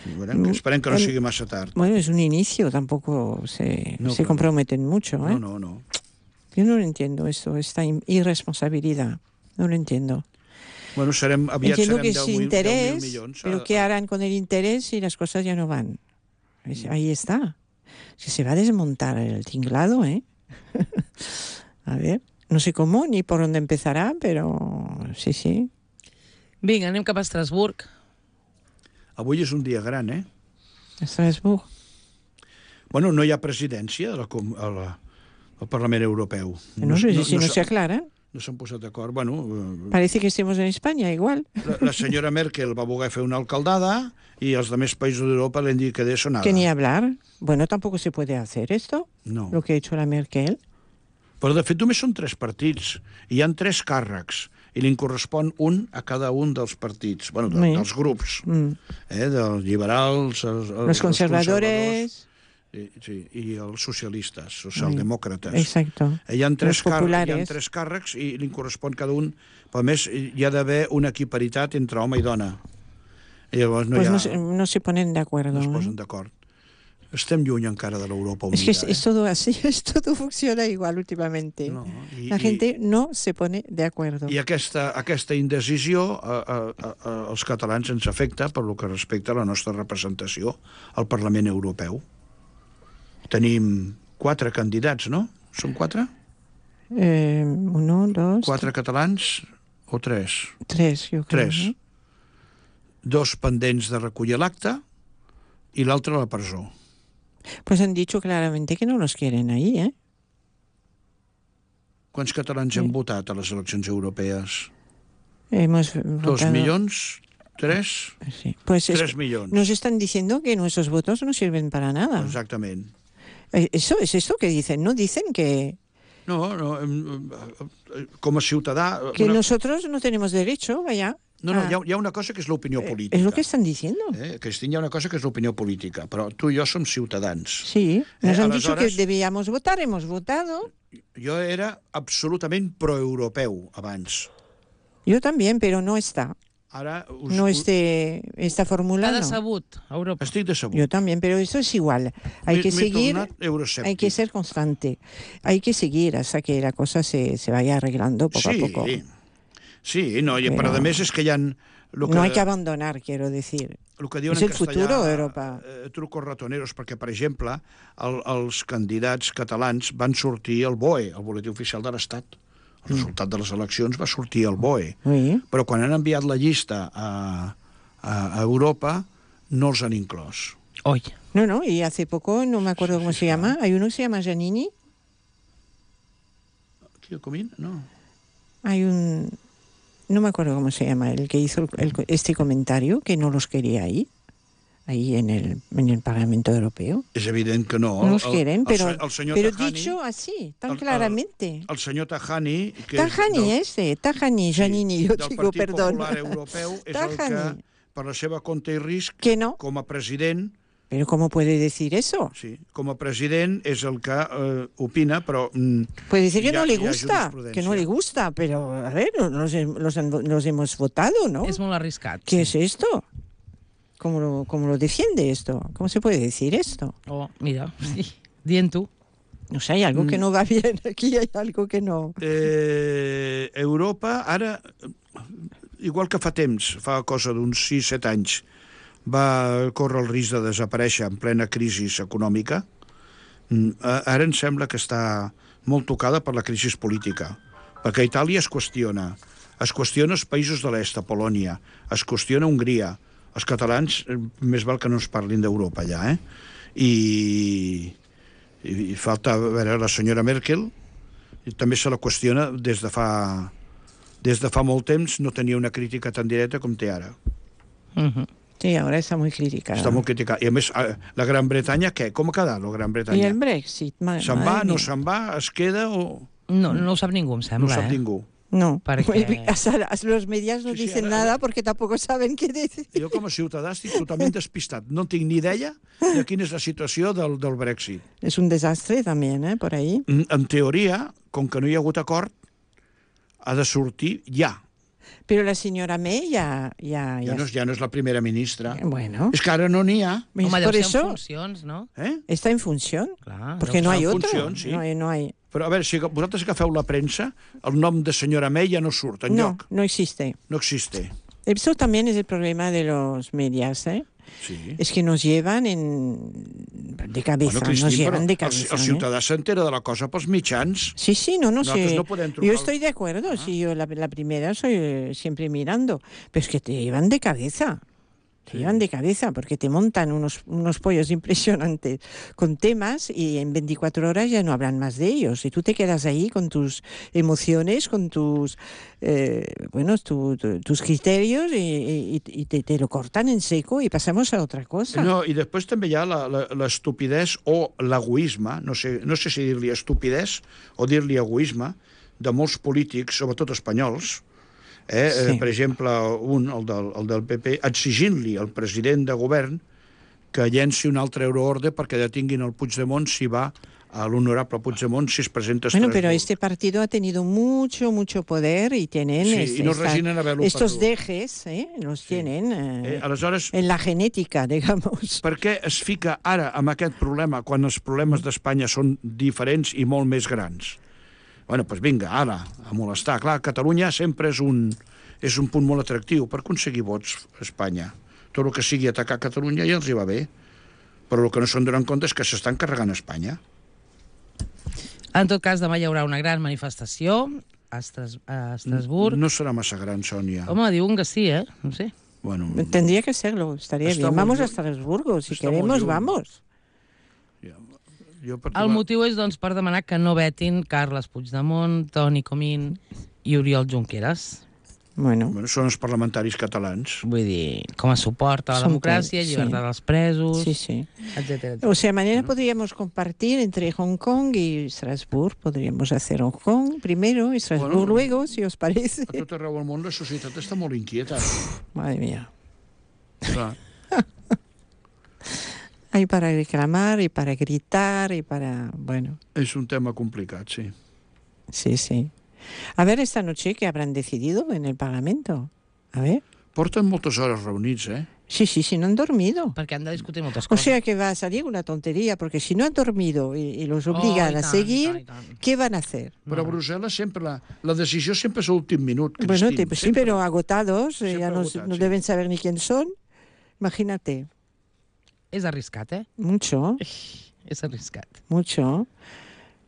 I veurem, que esperem que no El- sigui massa tard. Bueno, es un inicio, tampoco se, No, se claro. comprometen mucho, ¿eh? No, no, no. Yo no lo entiendo esto, esta in- irresponsabilidad. No lo entiendo. Bueno, serem, aviat Entiendo serem que deu es mil- deu mil interés, milions. pero ¿qué harán con el interés si las cosas ya no van? Es- ahí está. Es que se va a desmontar el tinglado, ¿eh? A ver, no sé cómo ni por dónde empezará, pero sí, sí. Vinga, anem cap a Estrasburg. Avui és un dia gran, eh? Estrasburg. Bueno, no hi ha presidència a la, com- a la, al Parlament Europeu. No, sé si no, s'ha- se aclaran. no s'han posat d'acord. Bueno, eh, Parece que estemos en España igual. la, la senyora Merkel va voler fer una alcaldada i els altres països d'Europa l'han dit que de eso nada. Que ni hablar. Bueno, tampoco se puede hacer esto, No. lo que ha hecho la Merkel. Però, de fet, només són tres partits. I hi ha tres càrrecs. I li correspon un a cada un dels partits, bueno, de, Sí. dels grups, Mm. eh, dels liberals, els, els, Los conservadores. Sí, sí, i els socialistes, socialdemòcrates. Exacto. Hi ha, tres Los càrrecs, hi ha populares. tres càrrecs i li correspon cada un. Però, a més, hi ha d'haver una equiparitat entre home i dona. I llavors no Pues hi ha... no, se- no se ponen de acuerdo. no es ¿eh? posen d'acord. Estem lluny encara de l'Europa Es unida. que es, eh? es todo así, es todo funciona igual últimamente. No, i, La gente no se pone de acuerdo. I, i aquesta, aquesta indecisió a, a, a, a, als catalans ens afecta per lo que respecta a la nostra representació al Parlament Europeu. Tenim quatre candidats, no? Són quatre? Eh, uno, dos, Quatre catalans o tres? tres, yo creo. Tres. ¿no? Dos pendents de recollir l'acte i l'altre a la presó. Pues han dicho claramente que no los quieren ahí, ¿eh? Quants catalans Sí. hem votat a les eleccions europees? Hemos Dos votado- milions? Tres? Sí. Pues es- Tres milions. nos están diciendo que nuestros votos no sirven para nada. Exactament. Eh, Eso es esto que dicen, ¿no? Dicen que, No, no, em, em, com a ciutadà... que una... nosotros no tenemos derecho, vaya. No, no, a- hi ha, hi ha una cosa que és l'opinió Eh, política. Es lo que están diciendo. Eh? Cristín, hi ha una cosa que és l'opinió política, però tu i jo som ciutadans. Sí, nos Eh, han dicho que aleshores- debíamos votar, hemos votado. Jo era absolutament proeuropeu abans. Yo también, pero no está. Ara us, No us- este, esta fórmula. T'ha No. decebut, Europa. estic decebut. Yo también, pero esto es igual. Hay M'he- que m'he seguir, tornat euroscèptic. hay que ser constante. Hay que seguir hasta que la cosa se, se vaya arreglando poco sí, a poco. Sí, no, i, Però- però a més és que hi ha... Lo que, No hay que abandonar, quiero decir. el que diuen és en el castellà, futuro d'Europa. eh, trucos ratoneros, perquè, per exemple, el, els candidats catalans van sortir al B O E, el Boletí Oficial de l'Estat. El resultat de les eleccions va sortir al B O E. Sí. Però quan han enviat la llista a, a, a Europa, no els han inclòs. Oi. No, no, y hace poco, no me acuerdo cómo se llama, hay uno que se llama Giannini, Aquí a Comín? No. hay un, no me acuerdo cómo se llama, el que hizo el- el- este comentario, que no los quería ahí, ahí en el, en el Parlamento Europeo. És evident que no. No los El- quieren, el, pero, el, el senyor pero Tajani, dicho así, tan el- el- claramente. el senyor Tajani, que Tajani és del, este, Tajani, Giannini, yo del digo, Partit perdón. Popular Europeu, és el Tajani. que, per la seva compte i risc, Que no, com a president, pero ¿cómo puede decir eso? sí, com a president és el que eh, opina, però... Mm, Puede decir que hi ha- no le hi ha gusta, que no le jurisprudència. gusta, pero a ver, los, los, han- los hemos votado, ¿no? És molt arriscat. ¿Qué es esto? ¿Cómo lo, cómo lo defiende esto? ¿Cómo se puede decir esto? Oh, mira, sí. Dient tu. No sé, hay algo Mm. que no va bien aquí, hay algo que no... Eh, Europa, ara, igual que fa temps, fa cosa d'uns sis set anys, va córrer el risc de desaparèixer en plena crisi econòmica, mm, a- ara em sembla que està molt tocada per la crisi política, perquè Itàlia es qüestiona, es qüestiona els països de l'est, a Polònia, es qüestiona Hongria, els catalans, eh, més val que no ens parlin d'Europa ja, eh? I, i, i falta, a veure, la senyora Merkel, i també se la qüestiona des de fa des de fa molt temps, no tenia una crítica tan directa com té ara. Uh -huh. Sí, ahora está muy criticada. Està molt criticada. I a més, eh, la Gran Bretanya, què? Com ha quedat la Gran Y Bretanya? el Brexit, ma- Se'n madre va, no mía. se'n va, es queda o No, no ho sap ningú, em no sembla, ho sap eh? ningú? No, Perquè- Hasta los medios no Sí, sí, dicen ara- nada porque tampoco saben qué decir. Jo com a ciutadà estic totalment despistat. No tinc ni idea de quina és la situació del, del Brexit. Es un desastre también, ¿eh? Por ahí. En en teoria, com que no hi ha hagut acord, ha de sortir ja. Pero la señora May ya... ya, Ja ya no és, ja no és la primera ministra. Bueno, És que ara no n'hi ha. ¿ves? Home, deu por ser en eso funcions, no? Eh? está en función. Clar, Porque deu no ser. hay en otro. función, sí. No hay, no hay. Però a veure, si vosaltres agafeu la premsa, el nom de senyora May ja no surt No, enlloc. no existe. No existe. Eso también es el problema de los medios, ¿eh? Sí. Es que nos llevan en... de cabeza, Bueno, nos Cristín, però llevan de el, cabeza. el ¿eh? ciutadà s'entera de la cosa pels mitjans. Sí, sí, no, no Nosotros sé. no podem trucar Yo al- estoy de acuerdo, Ah. sí, yo la, la primera soy eh, siempre mirando, pero es que te llevan de cabeza. Te Sí. llevan de cabeza porque te montan unos, unos pollos impresionantes con temas y en veinticuatro horas ya no hablan más de ellos. Y tú te quedas ahí con tus emociones, con tus eh, bueno, tu- tu- tus criterios y, y- y te, te lo cortan en seco y pasamos a otra cosa. No, i després també hi ha la- la- l'estupidesa o l'egoisme, no sé, no sé si dir-li estupidesa o dir-li egoisme, de molts polítics, sobretot espanyols, eh? Sí. Eh, per exemple, un, el del, el del P P, exigint-li al president de govern que llenci un altre euroorde perquè detinguin el Puigdemont si va a l'honorable Puigdemont si es presenta a Bueno, Estrasburg. pero este partido ha tenido mucho, mucho poder y tienen Sí, es- y no esta- resinen haver-lo estos perdut. dejes, ¿eh? los tienen eh, Eh, aleshores, en la genética, digamos. per què es fica ara amb aquest problema quan els problemes d'Espanya són diferents i molt més grans? Bueno, doncs vinga, ara, a molestar. Clar, Catalunya sempre és un, és un punt molt atractiu per aconseguir vots a Espanya. Tot el que sigui atacar Catalunya ja els hi va bé, però el que no se'n donen compte és que s'estan carregant Espanya. En tot cas, demà hi haurà una gran manifestació a, Estras a Estrasburg. No serà massa gran, Sònia. Home, diuen que sí, eh? No sé. Bueno, Tendría que serlo, estaría Está bien. muy Vamos a lluny. Estrasburgo, si Está muy queremos, lluny. vamos. jo per El motiu és, doncs, per demanar que no vetin Carles Puigdemont, Toni Comín i Oriol Junqueras. Bueno, Bueno, són els parlamentaris catalans. Vull dir, com a suport a la Són democràcia, que- sí. llibertat dels presos, sí, sí. etcètera. O sea, mañana podríamos compartir entre Hong Kong y Estrasburg. Podríamos hacer Hong Kong primero y Estrasburg Bueno. luego, si os parece. A tot arreu del món la societat està molt inquieta. Madre mía. Clar. Hay para reclamar y para gritar y para... Bueno, És un tema complicat, sí. sí, sí. A ver esta noche qué habrán decidido en el Parlamento. A ver. Porten moltes hores reunits, eh? Sí, sí, sí, no han dormido. Perquè han de discutir moltes O coses. sea que va a salir una tontería, porque si no han dormido y, y los Oh, obligan i a tant, seguir, i tant, i tant. ¿qué van a hacer? Però a Brussel·les sempre la, la decisió sempre és a l'últim minut, Bueno, Cristín. te- pues sí, sempre. pero agotados, eh, Siempre ya no, agotados, no sí. deben saber ni quién son. Imagínate, És arriscat, eh? mucho, És arriscat. mucho.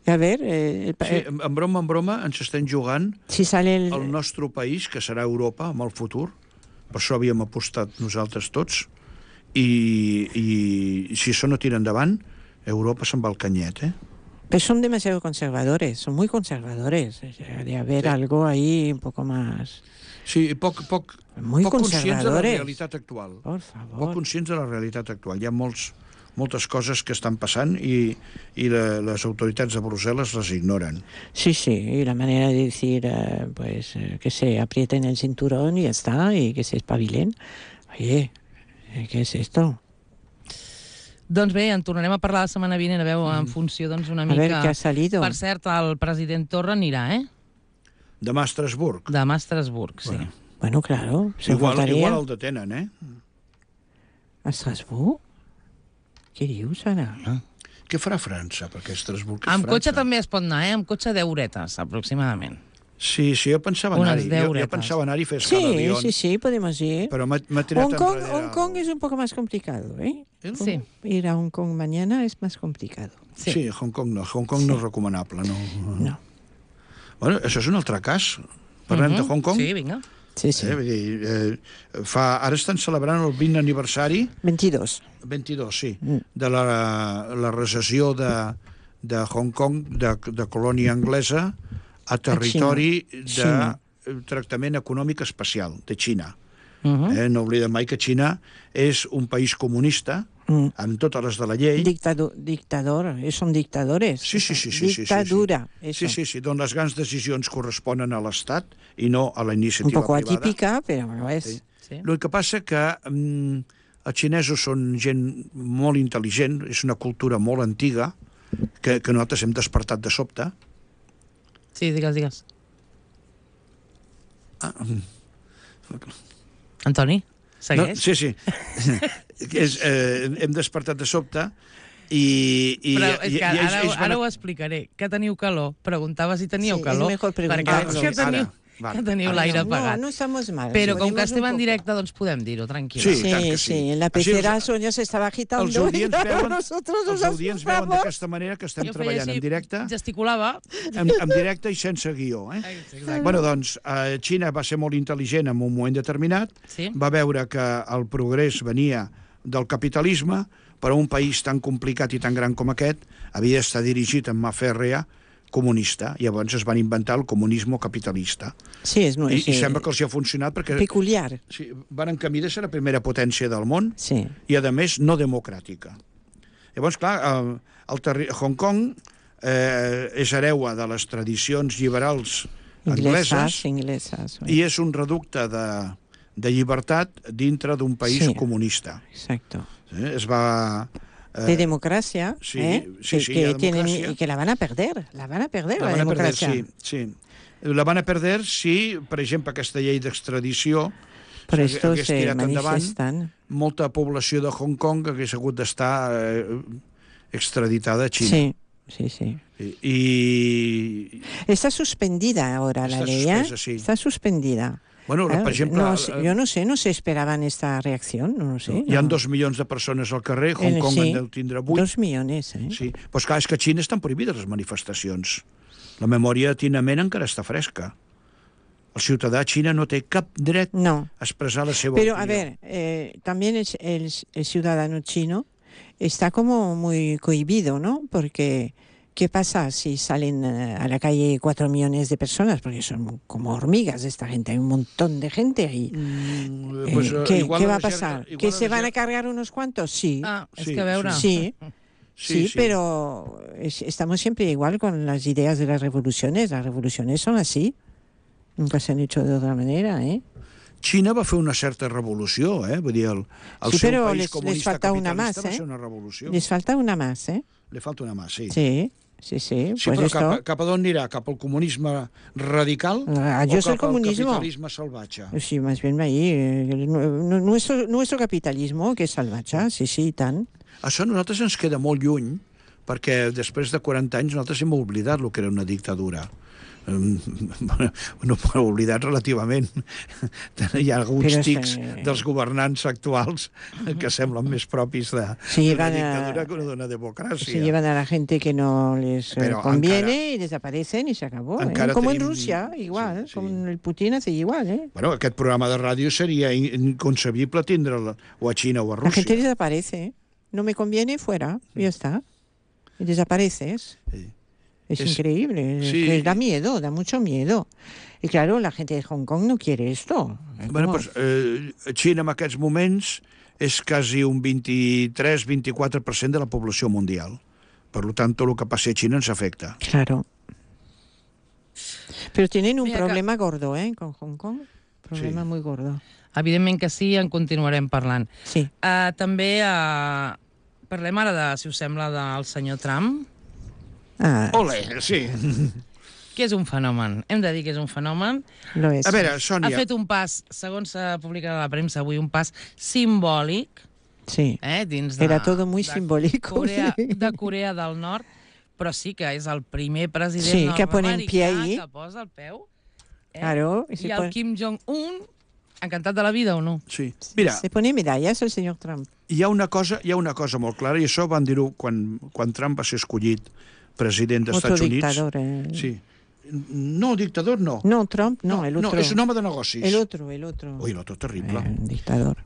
Y a ver, eh, el pa- Sí, en en broma, en broma, ens estem jugant si sale el... el nostre país, que serà Europa, amb el futur. Per això havíem apostat nosaltres tots. I, i si això no tira endavant, Europa se'n va al canyet, eh? Pero son demasiado conservadores, son muy conservadores. O sea, de haber Sí. algo ahí un poco más... Sí, i poc, poc, Muy poc conscients de la conservadores. realitat actual. Por Poc favor. conscients de la realitat actual. Hi ha molts, moltes coses que estan passant i, i la, les autoritats de Brussel·les les ignoren. Sí, sí, y la manera de decir, eh, pues, eh, que se aprieten el cinturón y ya está, y que se espabilen. Oye, eh, ¿qué es esto? Doncs bé, en tornarem a parlar la setmana vinent, a veure, en funció, doncs, una A mica... ver qué ha salido. Per cert, el president Torra anirà, eh? Demà a Estrasburg. Demà a Estrasburg, sí. Bueno. Bueno, claro, se Igual, faltaría igual el detenen, eh? a Estrasburg. Què dius, ara? Què farà França? Perquè Estrasburg és Amb França. cotxe també es pot anar, eh? Amb cotxe deu horetes, aproximadament. Sí, sí, jo pensava Unes anar-hi. deu Jo, jo horetes. pensava anar-hi a fer Sí, escala a Lyon, sí, sí, podemos ir. però m'ha m'ha tirat Hong Kong, enrere. Hong Kong es un poco más complicado, ¿eh? El- Sí. Ir a Hong Kong mañana es más complicado. Sí. Sí, Hong Kong no. Hong Kong no és recomanable, no. No. Bueno, això és un altre cas. Parlem de Hong Kong. Sí, vinga. Sí, sí. Eh, vull dir, eh, fa, ara estan celebrant el vint aniversari, veintidós. vint-i-dos, sí, Mm. de la, la recessió de, de Hong Kong, de, de colònia anglesa, a territori de Xina. tractament econòmic especial, de Xina. Uh -huh. Eh, no oblidem mai que Xina és un país comunista, Mm. amb totes les de la llei. Dictado, dictador, eh, son dictadores. Sí, sí, sí, sí, sí, sí, Dictadura, sí. eso. Sí, sí, sí, d'on les grans decisions corresponen a l'Estat i no a la Un iniciativa poco privada. atípica, pero no es. Sí. Sí. El que passa que mm, els xinesos són gent molt intel·ligent, és una cultura molt antiga, que, que nosaltres hem despertat de sobte. Sí, digues, digues. Ah, mm. Antoni, no, segueix? sí, sí. és, eh, hem despertat de sobte i... i Però és i- que i ells- ara, ells van ara a- ho explicaré. Que teniu calor? Preguntava si teníeu Sí, és calor. mejor perquè preguntar-lo. veig que teniu, Ara, va. que teniu Ara l'aire no, apagat. No, no estamos mal. Però com que Podemos estem un en poco. directe, doncs podem dir-ho, tranquil·la. Sí, Sí, i tant que sí, sí. en la Així pecera els- Sonia se estaba agitando. Els audients y claro, veuen, nosotros els nos audients veuen asustamos. d'aquesta manera que estem Jo feia treballant així, en directe, gesticulava. en, en directe i sense guió. Eh? Exacte. Bueno, doncs, eh, Xina va ser molt intel·ligent en un moment determinat, Sí. va veure que el progrés venia del capitalisme, però un país tan complicat i tan gran com aquest havia d'estar dirigit amb mà fèrrea comunista. Llavors es van inventar el comunisme capitalista. Sí, es muy I, sí, I sembla que els hi ha funcionat perquè peculiar. sí, van en camí de ser la primera potència del món Sí. i, a més, no democràtica. Llavors, clar, el, el terri... Hong Kong eh, és hereua de les tradicions liberals Inglesas, angleses inglesas. sí. i és un reducte de, de llibertat dintre d'un país Sí. comunista. Exacto. Eh? Es va, de democracia, sí, ¿eh? sí, que, sí, que hi ha tienen, democràcia. y que la van a perder, la van a perder la, La van a perder, democracia. sí, sí. La van a perder si, per exemple, aquesta llei d'extradició Por s'hagués esto hagués se tirat endavant, manifiestan. molta població de Hong Kong hagués hagut d'estar eh, extraditada a Xina. Sí, sí, sí. I, Está suspendida ahora la Está ley, ¿eh? suspesa, sí. Está suspendida. bueno, Claro, per exemple, no, sé- yo no sé, no se esperaban esta reacción, no lo sé. hi ha no. dos milions de persones al carrer, Hong Eh, Kong sí, en deu tindre vuit. Dos millones, ¿eh? Sí, però clar, és que a Xina estan prohibides les manifestacions. La memòria de Tiananmen encara està fresca. El ciutadà a Xina no té cap dret No. a expressar la seva Pero, opinió. a ver, eh, también el, el- el ciudadano chino está como muy cohibido, ¿no? Porque, ¿qué pasa si salen eh, a la calle cuatro millones de personas? Porque son como hormigas esta gente, hay un montón de gente ahí. Mm, Eh, pues, eh, ¿qué, igual qué a va a la gent- pasar? igual ¿Que a la se van a gent- cargar unos cuantos? Sí. Ah, és Sí, que a veure... Sí, sí, pero es- estamos siempre igual con las ideas de las revoluciones. Las revoluciones son así. Nunca se han hecho de otra manera, ¿eh? Xina va fer una certa revolució, eh? Vull dir, el, el Sí, seu però país les- les comunista falta una capitalista más, va eh? ser una revolució. Les falta una más, ¿eh? Li falta una mà, sí. Sí, sí, sí. Sí, pues però esto... cap, a, cap a d'on anirà? Cap al comunisme radical Ah, o yo soy cap al comunismo. capitalisme salvatge? Sí, más bien ahí. eh, nu- nu- nuestro, nuestro capitalismo, que es salvaje, sí, sí, tan. Això a nosaltres ens queda molt lluny, perquè després de quaranta anys nosaltres hem oblidat el que era una dictadura. Um, no ho hem oblidat relativament. Hi ha alguns Però és tics que- dels governants actuals que semblen més propis de- Se d'una llevan a- dictadura que d'una Se democràcia. llevan a la gente que no les eh, Pero conviene encara- y desaparecen y se acabó. ¿eh? encara Como en tenim- Rusia, igual. sí, sí. Con el Putin hace igual, ¿eh? Bueno, aquest programa de ràdio seria in- inconcebible tindre'l o a Xina o a La gente Rússia. desaparece. ¿eh? No me conviene, fuera. Y ya está. Y desapareces. Sí. Es, Es- increíble. es sí. que da miedo, da mucho miedo. Y claro, la gente de Hong Kong no quiere esto. Bueno, ¿Cómo? pues, eh, Xina en aquests moments és quasi un vint-i-tres vint-i-quatre per cent de la població mundial. Per tant, tot el que passi a Xina ens afecta. Claro. Pero tienen un Mira que- problema gordo, ¿eh? Con Hong Kong. Problema Sí. muy gordo. Evidentment que sí, en continuarem parlant. Sí. Uh, també uh, parlem ara, de, si us sembla, del senyor Trump, Ah, Ole, sí. que és un fenomen. Hem de dir que és un fenomen. lo es. A veure, Ha Sònia, fet un pas, segons s'ha publicat a la premsa avui, un pas simbòlic, Sí. eh, dins de... Era todo muy de simbólico. Corea, sí. de Corea del Nord, però sí que és el primer president Sí, que pone en pie nord-americà ahí. que posa el peu. Eh? Claro. Y I se, el pone, Kim Jong-un, encantat de la vida o no? sí. Mira, se pone medallas el señor Trump. hi ha una cosa, hi ha una cosa molt clara, i això van dir-ho quan, quan Trump va ser escollit president dels Otro Estats Units. dictador. eh. Sí. No, dictador no. No, Trump, no, el otro. No, és un home de negocis. El otro, el otro. Ui, l'altre terrible. Eh, un dictador.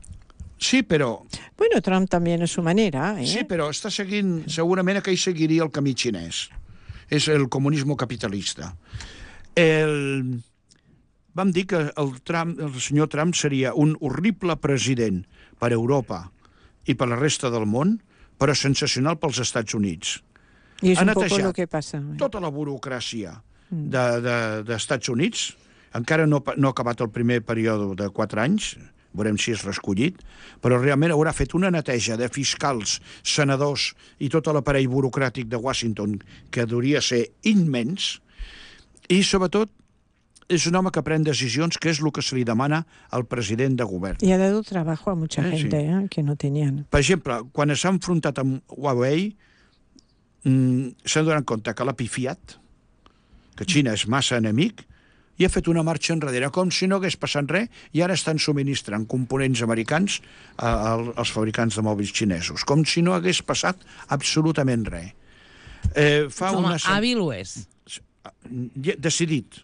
Sí, però, Bueno, Trump también a su manera. ¿eh? sí, però està seguint, segurament aquell seguiria el camí xinès. És el comunisme capitalista. El... Vam dir que el, Trump, el senyor Trump seria un horrible president per a Europa i per la resta del món, però sensacional pels Estats Units. Y es ha un poco netejat lo que pasa. ¿eh? Tota la burocràcia de, de, dels Estats Units, encara no, no ha acabat el primer període de quatre anys, veurem si és reescollit, però realment haurà fet una neteja de fiscals, senadors i tot l'aparell burocràtic de Washington, que hauria ser immens, i sobretot és un home que pren decisions, que és el que se li demana al president de govern. Y ha dado trabajo a mucha Eh, sí. gente ¿eh? que no tenían. Per exemple, quan s'ha enfrontat amb Huawei, mm, s'han donat compte que l'ha pifiat, que Xina és massa enemic, i ha fet una marxa enrere, com si no hagués passat res, i ara estan subministrant components americans a, a, als fabricants de mòbils xinesos, com si no hagués passat absolutament res. Eh, fa Home, una setmana... hàbil ho és. Decidit.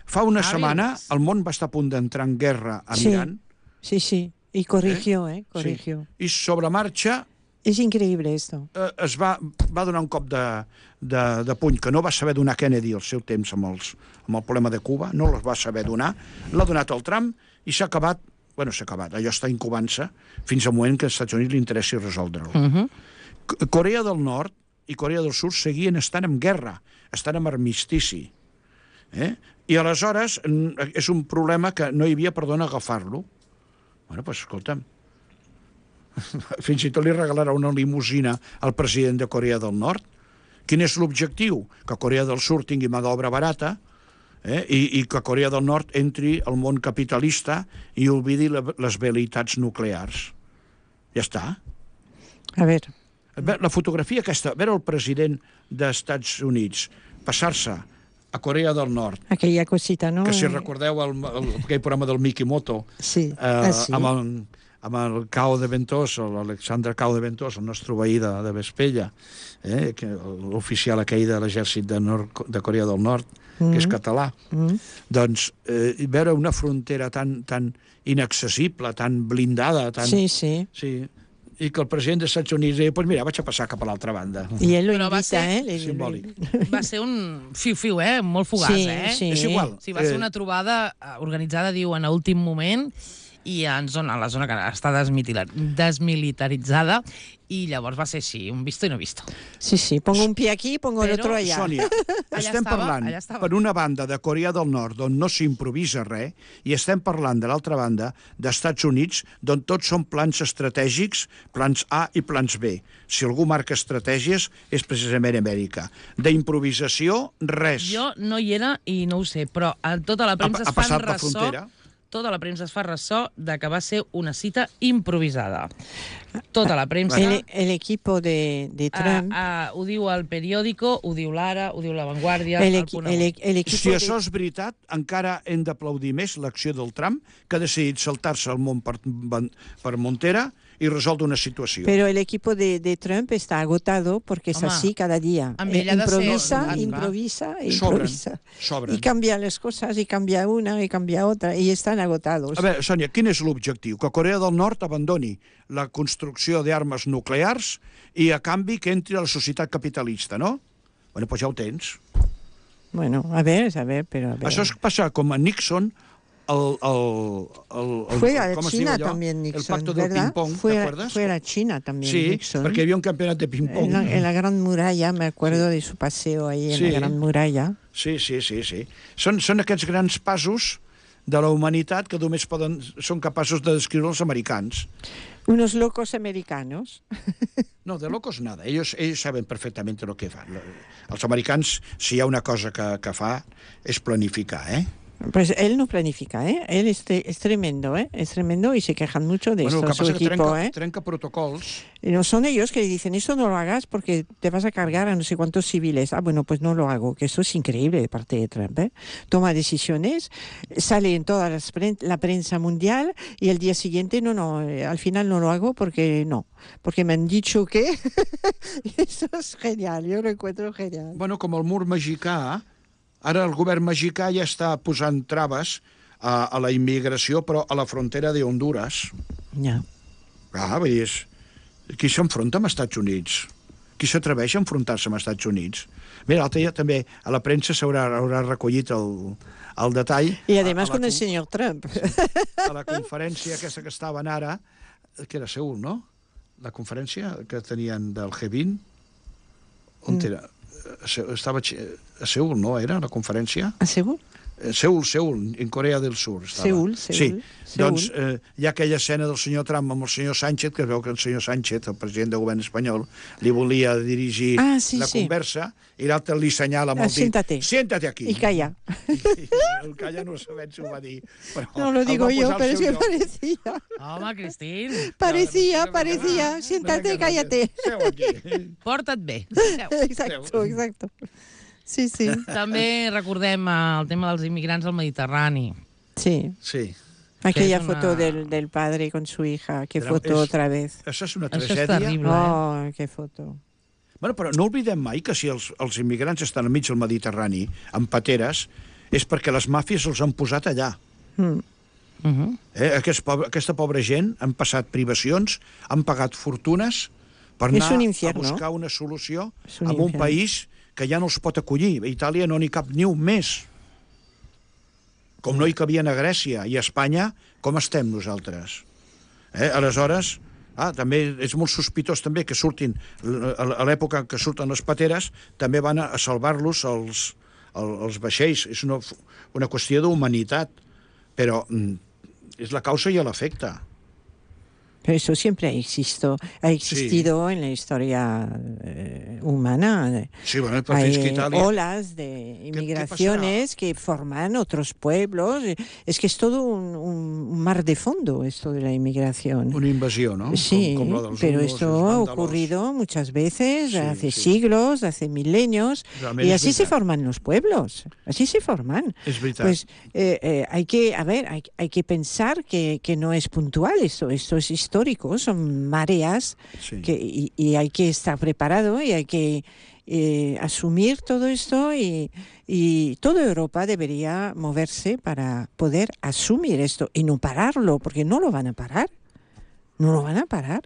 Fa una Hàbil setmana és. el món va estar a punt d'entrar en guerra amb Sí. Iran, Sí, sí. Y corrigió, ¿eh? Corrigió. i sobre marxa Es increíble esto. eh, es va, va donar un cop de, de, de puny que no va saber donar Kennedy al seu temps amb, els, amb el problema de Cuba, no les va saber donar, l'ha donat al Trump i s'ha acabat, bueno, s'ha acabat, allò està incubant-se fins al moment que als Estats Units li interessi resoldre-ho. Uh -huh. C- Corea del Nord i Corea del Sud seguien estant en guerra, estan en armistici. Eh? I aleshores mm, és un problema que no hi havia per d'on agafar-lo. Bueno, doncs escolta'm, Fins i tot li regalarà una limusina al president de Corea del Nord. Quin és l'objectiu? Que Corea del Sud tingui mà d'obra barata, eh? I, i que Corea del Nord entri al món capitalista i oblidi la, les velleitats nuclears. Ja està. A veure... La fotografia aquesta, veure el president dels Estats Units passar-se a Corea del Nord, aquella cosita, no? que si recordeu el, el, aquell programa del Mikimoto, sí. eh, ah, sí. amb, el, amb el Cao de Ventosa, l'Alexandre Cao de Ventosa, el nostre veí de, de Vespella, eh, l'oficial aquell de l'exèrcit de, Nord, de Corea del Nord, mm. que és català. Mm. Doncs eh, veure una frontera tan, tan inaccessible, tan blindada, tan... Sí, sí. Sí, i que el president dels Estats Units deia, pues mira, vaig a passar cap a l'altra banda. I ell lo Però va invita, ser eh? simbòlic. Va ser un fiu-fiu, eh? Molt fugaç, Sí, eh? sí. És igual. Sí, va ser Eh, una trobada eh, organitzada, diuen, a últim moment, i en zona, a la zona que està desmitila- desmilitaritzada, i llavors va ser així, un visto i no visto. Sí, sí, pongo un pie aquí, pongo el Però, otro allá. Sònia, Allà estem estava, parlant, allà estava. per una banda, de Corea del Nord, on no s'improvisa res, i estem parlant, de l'altra banda, d'Estats Units, d'on tots són plans estratègics, plans A i plans B. Si algú marca estratègies, és precisament Amèrica. D'improvisació, res. Jo no hi era i no ho sé, però a tota la premsa Ha- ha es fan passat la ressò... frontera. Tota la premsa es fa ressò de que va ser una cita improvisada. Tota la premsa... El, el equipo de, de Trump... Uh, uh, ho diu el periòdico, ho diu l'Ara, ho diu La Vanguardia, el, el equi, Punt el, Avui. el equipo Si de... això és veritat, encara hem d'aplaudir més l'acció del Trump, que ha decidit saltar-se el món per, per Montera y resolve una situació. Pero el equipo de, de Trump está agotado porque es Home, así cada día. amb Eh, ell ha de ser- improvisa, Ah, improvisa, Sobren, improvisa. sobren. Y cambia las cosas, y cambia una, y cambia otra, y están agotados. A veure, Sònia, quin és l'objectiu? Que Corea del Nord abandoni la construcció d'armes nuclears i, a canvi, que entri a la societat capitalista, no? Bueno, doncs ja ho tens. Bueno, a ver, a ver, pero a ver. Això és passar com a Nixon, el, el, el, el, Fue a com es diu China allò? también Nixon, El pacto del ¿verdad? ping-pong, fue, a, ¿t'acuerdes? fue a China también Sí, Nixon. perquè hi havia un campionat de ping-pong. En la, en la Gran Muralla, me acuerdo de su paseo ahí en Sí. la Gran Muralla. Sí, sí, sí, sí. Són, són aquests grans passos de la humanitat que només poden, són capaços de descriure els americans. Unos locos americanos. No, de locos nada. Ellos, ellos saben perfectamente lo que fan. Els americans, si hi ha una cosa que, que fa, és planificar, eh? Pues él no planifica, ¿eh? Él es, tre- es tremendo, ¿eh? Es tremendo y se quejan mucho de Bueno, el esto, que su passa que equipo, trenca, ¿eh? trenca protocols. Y no son ellos que le dicen, esto no lo hagas porque te vas a cargar a no sé cuántos civiles. Ah, bueno, pues no lo hago, que esto es increíble de parte de Trump, ¿eh? Toma decisiones, sale en toda las pren- la prensa mundial y el día siguiente, no, no, eh, al final no lo hago porque no, porque me han dicho que... Eso es genial, yo lo encuentro genial. Bueno, com el mur mexicà, ara el govern mexicà ja està posant traves a, a la immigració, però a la frontera de Honduras. Ya. Ah, vull dir, és... qui s'enfronta amb els Estats Units? Qui s'atreveix a enfrontar-se amb els Estats Units? Mira, l'altre dia també a la premsa s'haurà haurà recollit el, el detall. Y además a, a con el con- señor Trump. a la conferència aquesta que estaven ara, que era a Seül, no? La conferència que tenien del G vint, on Mm. era? A Se- Estava a Xe- a Seül, no? Era la conferència? ¿Ah, seguro? Eh, Seül, Seül, en Corea del Sur. Estava. Seül, Seül, Sí, Seül. doncs eh, hi ha aquella escena del senyor Trump amb el senyor Sánchez, que es veu que el senyor Sánchez, el president del govern espanyol, li volia dirigir Ah, sí, la sí. conversa, i l'altre li senyala amb Ah, el dit, siéntate. siéntate aquí. Y calla. I, i el calla no sabem si ho va dir. Però No lo el digo va yo, posar al pero es seu que lloc. parecía. Home, Cristín, Parecía, parecía. Siéntate, cállate. Seu aquí. porta't bé. Seu. Exacto, exacto. Sí, sí. També recordem eh, el tema dels immigrants al Mediterrani. Sí. Sí. Aquella es una- foto del, del padre con su hija. Qué Pero foto es- otra vez. Això és una Això és tragèdia. terrible, eh? Oh, qué foto. Bueno, però no oblidem mai que si els, els immigrants estan enmig del Mediterrani, amb pateres, és perquè les màfies els han posat allà. Mm. Uh -huh. Eh? Aquest pobre, aquesta pobra gent han passat privacions, han pagat fortunes per És anar un a infierno. buscar una solució És un en un infierno. país que ja no els pot acollir. A Itàlia no n'hi cap ni un més. Com no hi cabien a Grècia i a Espanya, com estem nosaltres? Eh? Aleshores, ah, també és molt sospitós també que surtin, a l'època en què surten les pateres, també van a salvar-los els, els, els vaixells. És una, una qüestió d'humanitat, però mm, és la causa i l'efecte. Pero eso siempre ha existido, ha existido sí. en la historia eh, humana. Sí, bueno, però Hay fins que Itàlia... olas de inmigraciones que forman otros pueblos. Es que es todo un, un mar de fondo esto de la inmigración. Una invasión, ¿no? Sí, com, com la dels pero hunos, esto ha ocurrido muchas veces, sí, hace sí. siglos, hace milenios, y así se forman los pueblos, así se forman. Es verdad. Pues eh, eh, hay que, a ver, hay, hay que pensar que, que no es puntual esto, esto es histórico, son mareas sí. que, y, y hay que estar preparado y hay que eh, asumir todo esto y, y toda Europa debería moverse para poder asumir esto y no pararlo, porque no lo van a parar, no lo van a parar,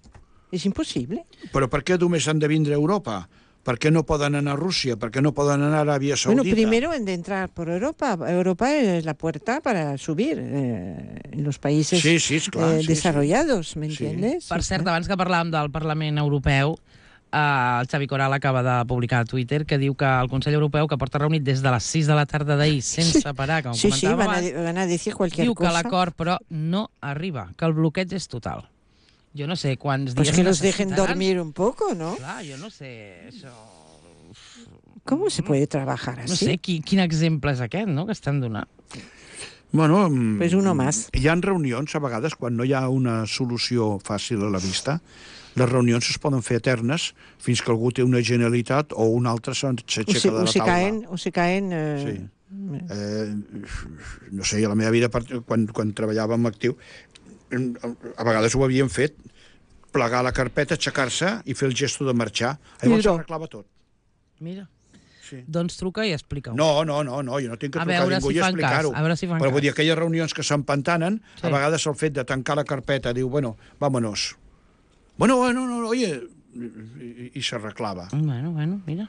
es imposible. Però per què només han de vindre a Europa? Per què no poden anar a Rússia? Per què no poden anar a Aràbia Saudita? Bueno, primero han de entrar por Europa. Europa es la puerta para subir eh, en los países sí, sí, clar, eh, sí, desarrollados, sí. ¿me entiendes? Sí. Per cert, abans que parlàvem del Parlament Europeu, eh, el Xavi Coral acaba de publicar a Twitter que diu que el Consell Europeu, que porta reunit des de les sis de la tarda d'ahir sense sí. parar, com sí, comentava sí, van abans, a, van a decir cualquier diu cosa. que l'acord, però, no arriba, que el bloqueig és total. Jo no sé quants pues dies que los necessitaran. dejen dormir un poco, ¿no? Clar, jo no sé, això... ¿Cómo se puede trabajar así? No sé, qui, quin exemple és aquest, no?, que estan donant. Bueno, pues uno más. Hi ha reunions, a vegades, quan no hi ha una solució fàcil a la vista, les reunions es poden fer eternes fins que algú té una genialitat o un altre s'aixeca de la o se taula. Caen, o se caen... Eh... Sí. Eh, no sé, a la meva vida, quan, quan treballàvem actiu, a vegades ho havien fet, plegar la carpeta, aixecar-se i fer el gesto de marxar. Llavors s'arreglava tot. Mira. Sí. Doncs truca i explica-ho. No, no, no, no, jo no tinc que trucar a ningú si i explicar-ho. A veure si fan Però cas. vull dir, aquelles reunions que s'empantanen, sí. a vegades el fet de tancar la carpeta, diu, bueno, vámonos. Bueno, bueno, no, oye, i, i s'arreglava. Bueno, bueno, mira.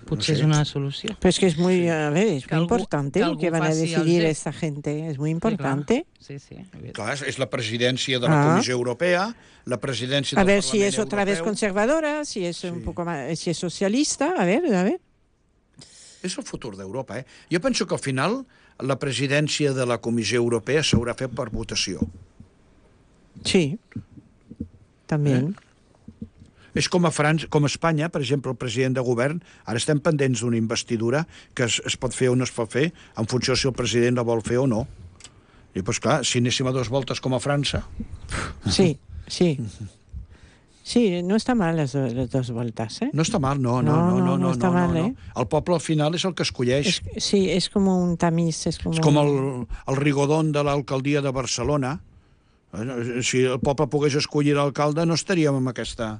Potser no sé. És una solució. Pero es que es muy, a ver, es que muy algú, importante que lo que van a decidir esta gente. Es muy importante. Sí, sí. Clar, és la presidència de la ah. Comissió Europea, la presidència del del Parlament Europeu. A ver si es Europeu. otra vez conservadora, si es sí. un poco más, si es socialista, a ver, a ver. És el futur d'Europa, eh? Jo penso que al final la presidència de la Comissió Europea s'haurà fet per votació. Sí, també. Eh? És com a França, com a Espanya, per exemple, el president de govern, ara estem pendents d'una investidura que es, es pot fer o no es pot fer en funció si el president la vol fer o no. I, doncs clar, si anéssim a dues voltes com a França... Sí, sí. Sí, no està mal les, les dues voltes, eh? No està mal, no, no, no, no, no, no, està no, mal, no, eh? no. El poble al final és el que escolleix. És, sí, és com un tamiz. És com, és com el, el rigodón de l'alcaldia de Barcelona. Si el poble pogués escollir l'alcalde, no estaríem en aquesta...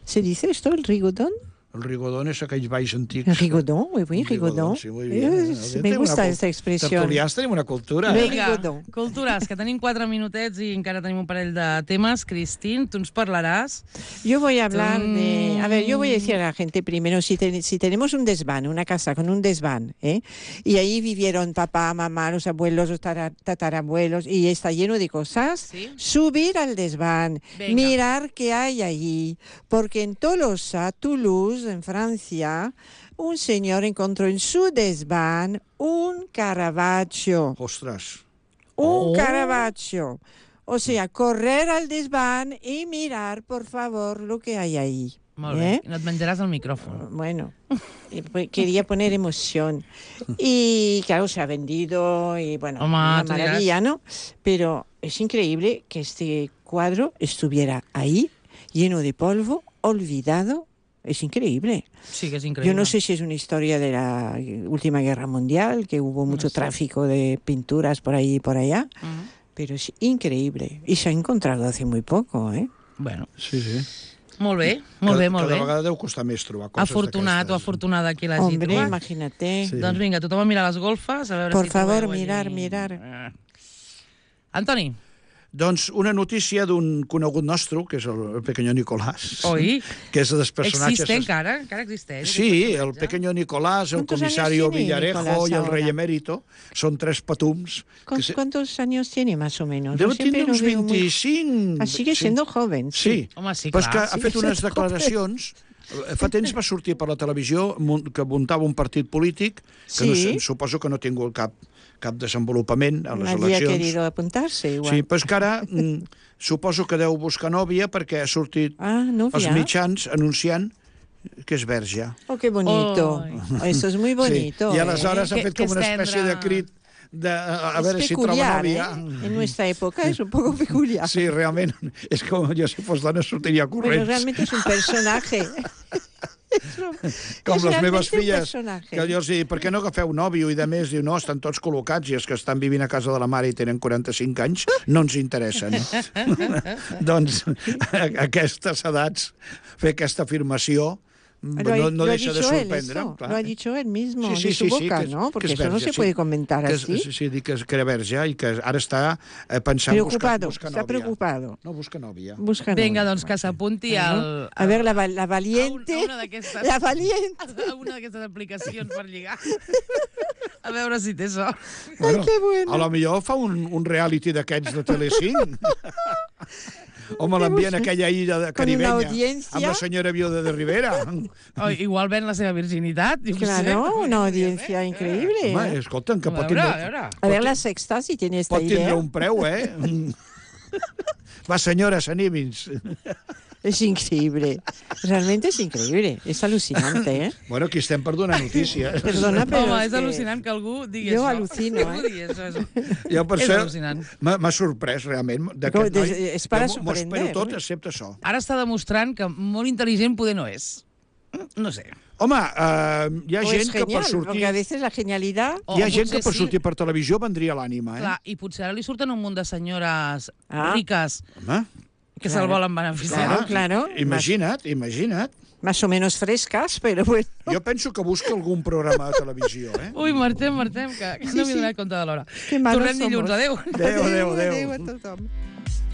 ¿Se dice esto, el rigodón? El rigodón és aquells balls antics. El rigodón, muy bien, rigodón. Sí, muy bien. Eh, me gusta una, esta expressió. Tertulians tenim una cultura. Eh? Vinga, cultures, que tenim quatre minutets i encara tenim un parell de temes. Cristín, tu ens parlaràs. Yo voy a hablar de... A ver, yo voy a decir a la gente primero, si, te, si tenemos un desván, una casa con un desván, ¿eh? Y ahí vivieron papá, mamá, los abuelos, los tatarabuelos, y está lleno de cosas, ¿sí? Subir al desván, venga, mirar qué hay allí, porque en Tolosa, Toulouse, en Francia, un señor encontró en su desván un Caravaggio. Ostras. Un oh. Caravaggio. O sea, correr al desván y mirar, por favor, lo que hay ahí. Molt bé. ¿Eh? No et menjaràs el micrófono. Bueno, quería poner emoción. Y claro, se ha vendido y bueno, Home, una maravilla, ¿no? Pero es increíble que este cuadro estuviera ahí, lleno de polvo, olvidado. Es increíble. Sí, que es increíble. Yo no sé si es una historia de la última guerra mundial, que hubo mucho no sé. tráfico de pinturas por ahí y por allá, uh-huh. Pero es increíble. Y se ha encontrado hace muy poco, ¿eh? Bueno. Sí, sí. Molt bé, molt cada, bé, molt cada bé. Cada vegada deu costar més trobar coses afortunat o afortunada qui l'hagi Hombre, trobat. imagínate. Sí. Doncs vinga, tothom a mirar les golfes, a veure Por si favor, trobeu mirar, allí... mirar. Eh. Antoni. Doncs una notícia d'un conegut nostre, que és el Pequeño Nicolás. Oi? Que és dels personatges... Existe encara? Encara existeix? Sí, el Pequeño Nicolás, el comisario Villarejo y el rey emérito. Son tres patums. ¿Cuántos, se... ¿Cuántos años tiene más o menos? Deu tindre uns Muy... vint-i-cinc... Ah, sigue siendo sí. joven. Sí. Sí. Home, sí, clar. Però és que ha sí, fet unes declaracions... Fa temps va sortir per la televisió que muntava un partit polític, que sí. no, suposo que no tinc al cap cap desenvolupament a les Nadie ha eleccions. querido apuntarse igual. Sí, però és que ara mm, suposo que deu buscar nòvia perquè ha sortit Ah, els novia. mitjans anunciant que és verge. Oh, qué bonito. Ay. Eso es muy bonito. Sí. I ¿eh? aleshores ha Que- fet que com una és espècie de tendre. crit de, a, a Es veure si troba peculiar, nòvia. ¿eh? En nuestra época es un poco peculiar. Sí, realment, és com jo si fos dona sortiria Bueno, corrents. realmente es un personaje. Com és les realmente meves un filles, personaje. que jo els dic, per què no agafeu nòvio? I de més, diu, no, estan tots col·locats i els que estan vivint a casa de la mare i tenen quaranta-cinc anys no ens interessen. Doncs a aquestes edats fer aquesta afirmació Lo ha, no, no lo ha deixa de dicho él, sorprendre. eso. clar. Lo ha dicho él mismo, Sí, sí, de su sí, sí, boca, que és- ¿no? que Porque és eso no verge, se sí. puede comentar Que és, así. sí, sí, dic que, és, que era verge i que ara està eh, pensant Preocupado, buscar, buscar está nòvia. preocupado. No, busca nòvia. Busca Vinga, novia. doncs que s'apunti Bueno, al... A ver, la, va- la a valiente. un- a una d'aquestes... La valiente. a una d'aquestes aplicacions per lligar. A veure si té sort. Bueno, que bueno. a lo millor fa un, un reality d'aquests de Telecinc. O me l'envien a aquella illa de Con una caribenya audiencia. amb la senyora Viuda de Rivera. O igual ven la seva virginitat. Jo què sé. Claro, una audiencia increíble. Home, ¿eh? escolta'm, que A pot veure, a tindre, veure. A ver, la sexta, si tiene esta pot tindre idea. un preu, eh? Va, senyora, s'animis. Es increíble. Realmente es increíble. Es alucinante, ¿eh? Bueno, aquí estem per donar notícies. Perdona, però Home, és és que- al·lucinant que algú digui Jo això. al·lucino, Que algú eh? digui això, això. Jo per És això al·lucinant. m'ha m'ha sorprès, realment, Com, d'aquest des- noi. és para Jo m'ho espero sorprender, tot, eh? excepte això. Ara està demostrant que molt intel·ligent poder no és. No sé. Home, eh, hi ha O gent es que per genial, sortir... porque a veces la genialidad... O Hi ha gent que potser per sí. sortir per televisió vendria l'ànima, eh? Clar, i potser ara li surten un munt de senyores Ah. riques Home, que Claro. se'l volen beneficiar. Claro, claro. Imagina't, imagina't. Más o menos frescas, pero bueno. Jo penso que busca algun programa de televisió, eh? Ui, marxem, marxem, que, que Sí, no m'he sí. donat compte de l'hora. Qué malos Tornem dilluns, somos. adéu. Adéu, adéu, adéu. Adéu a tothom.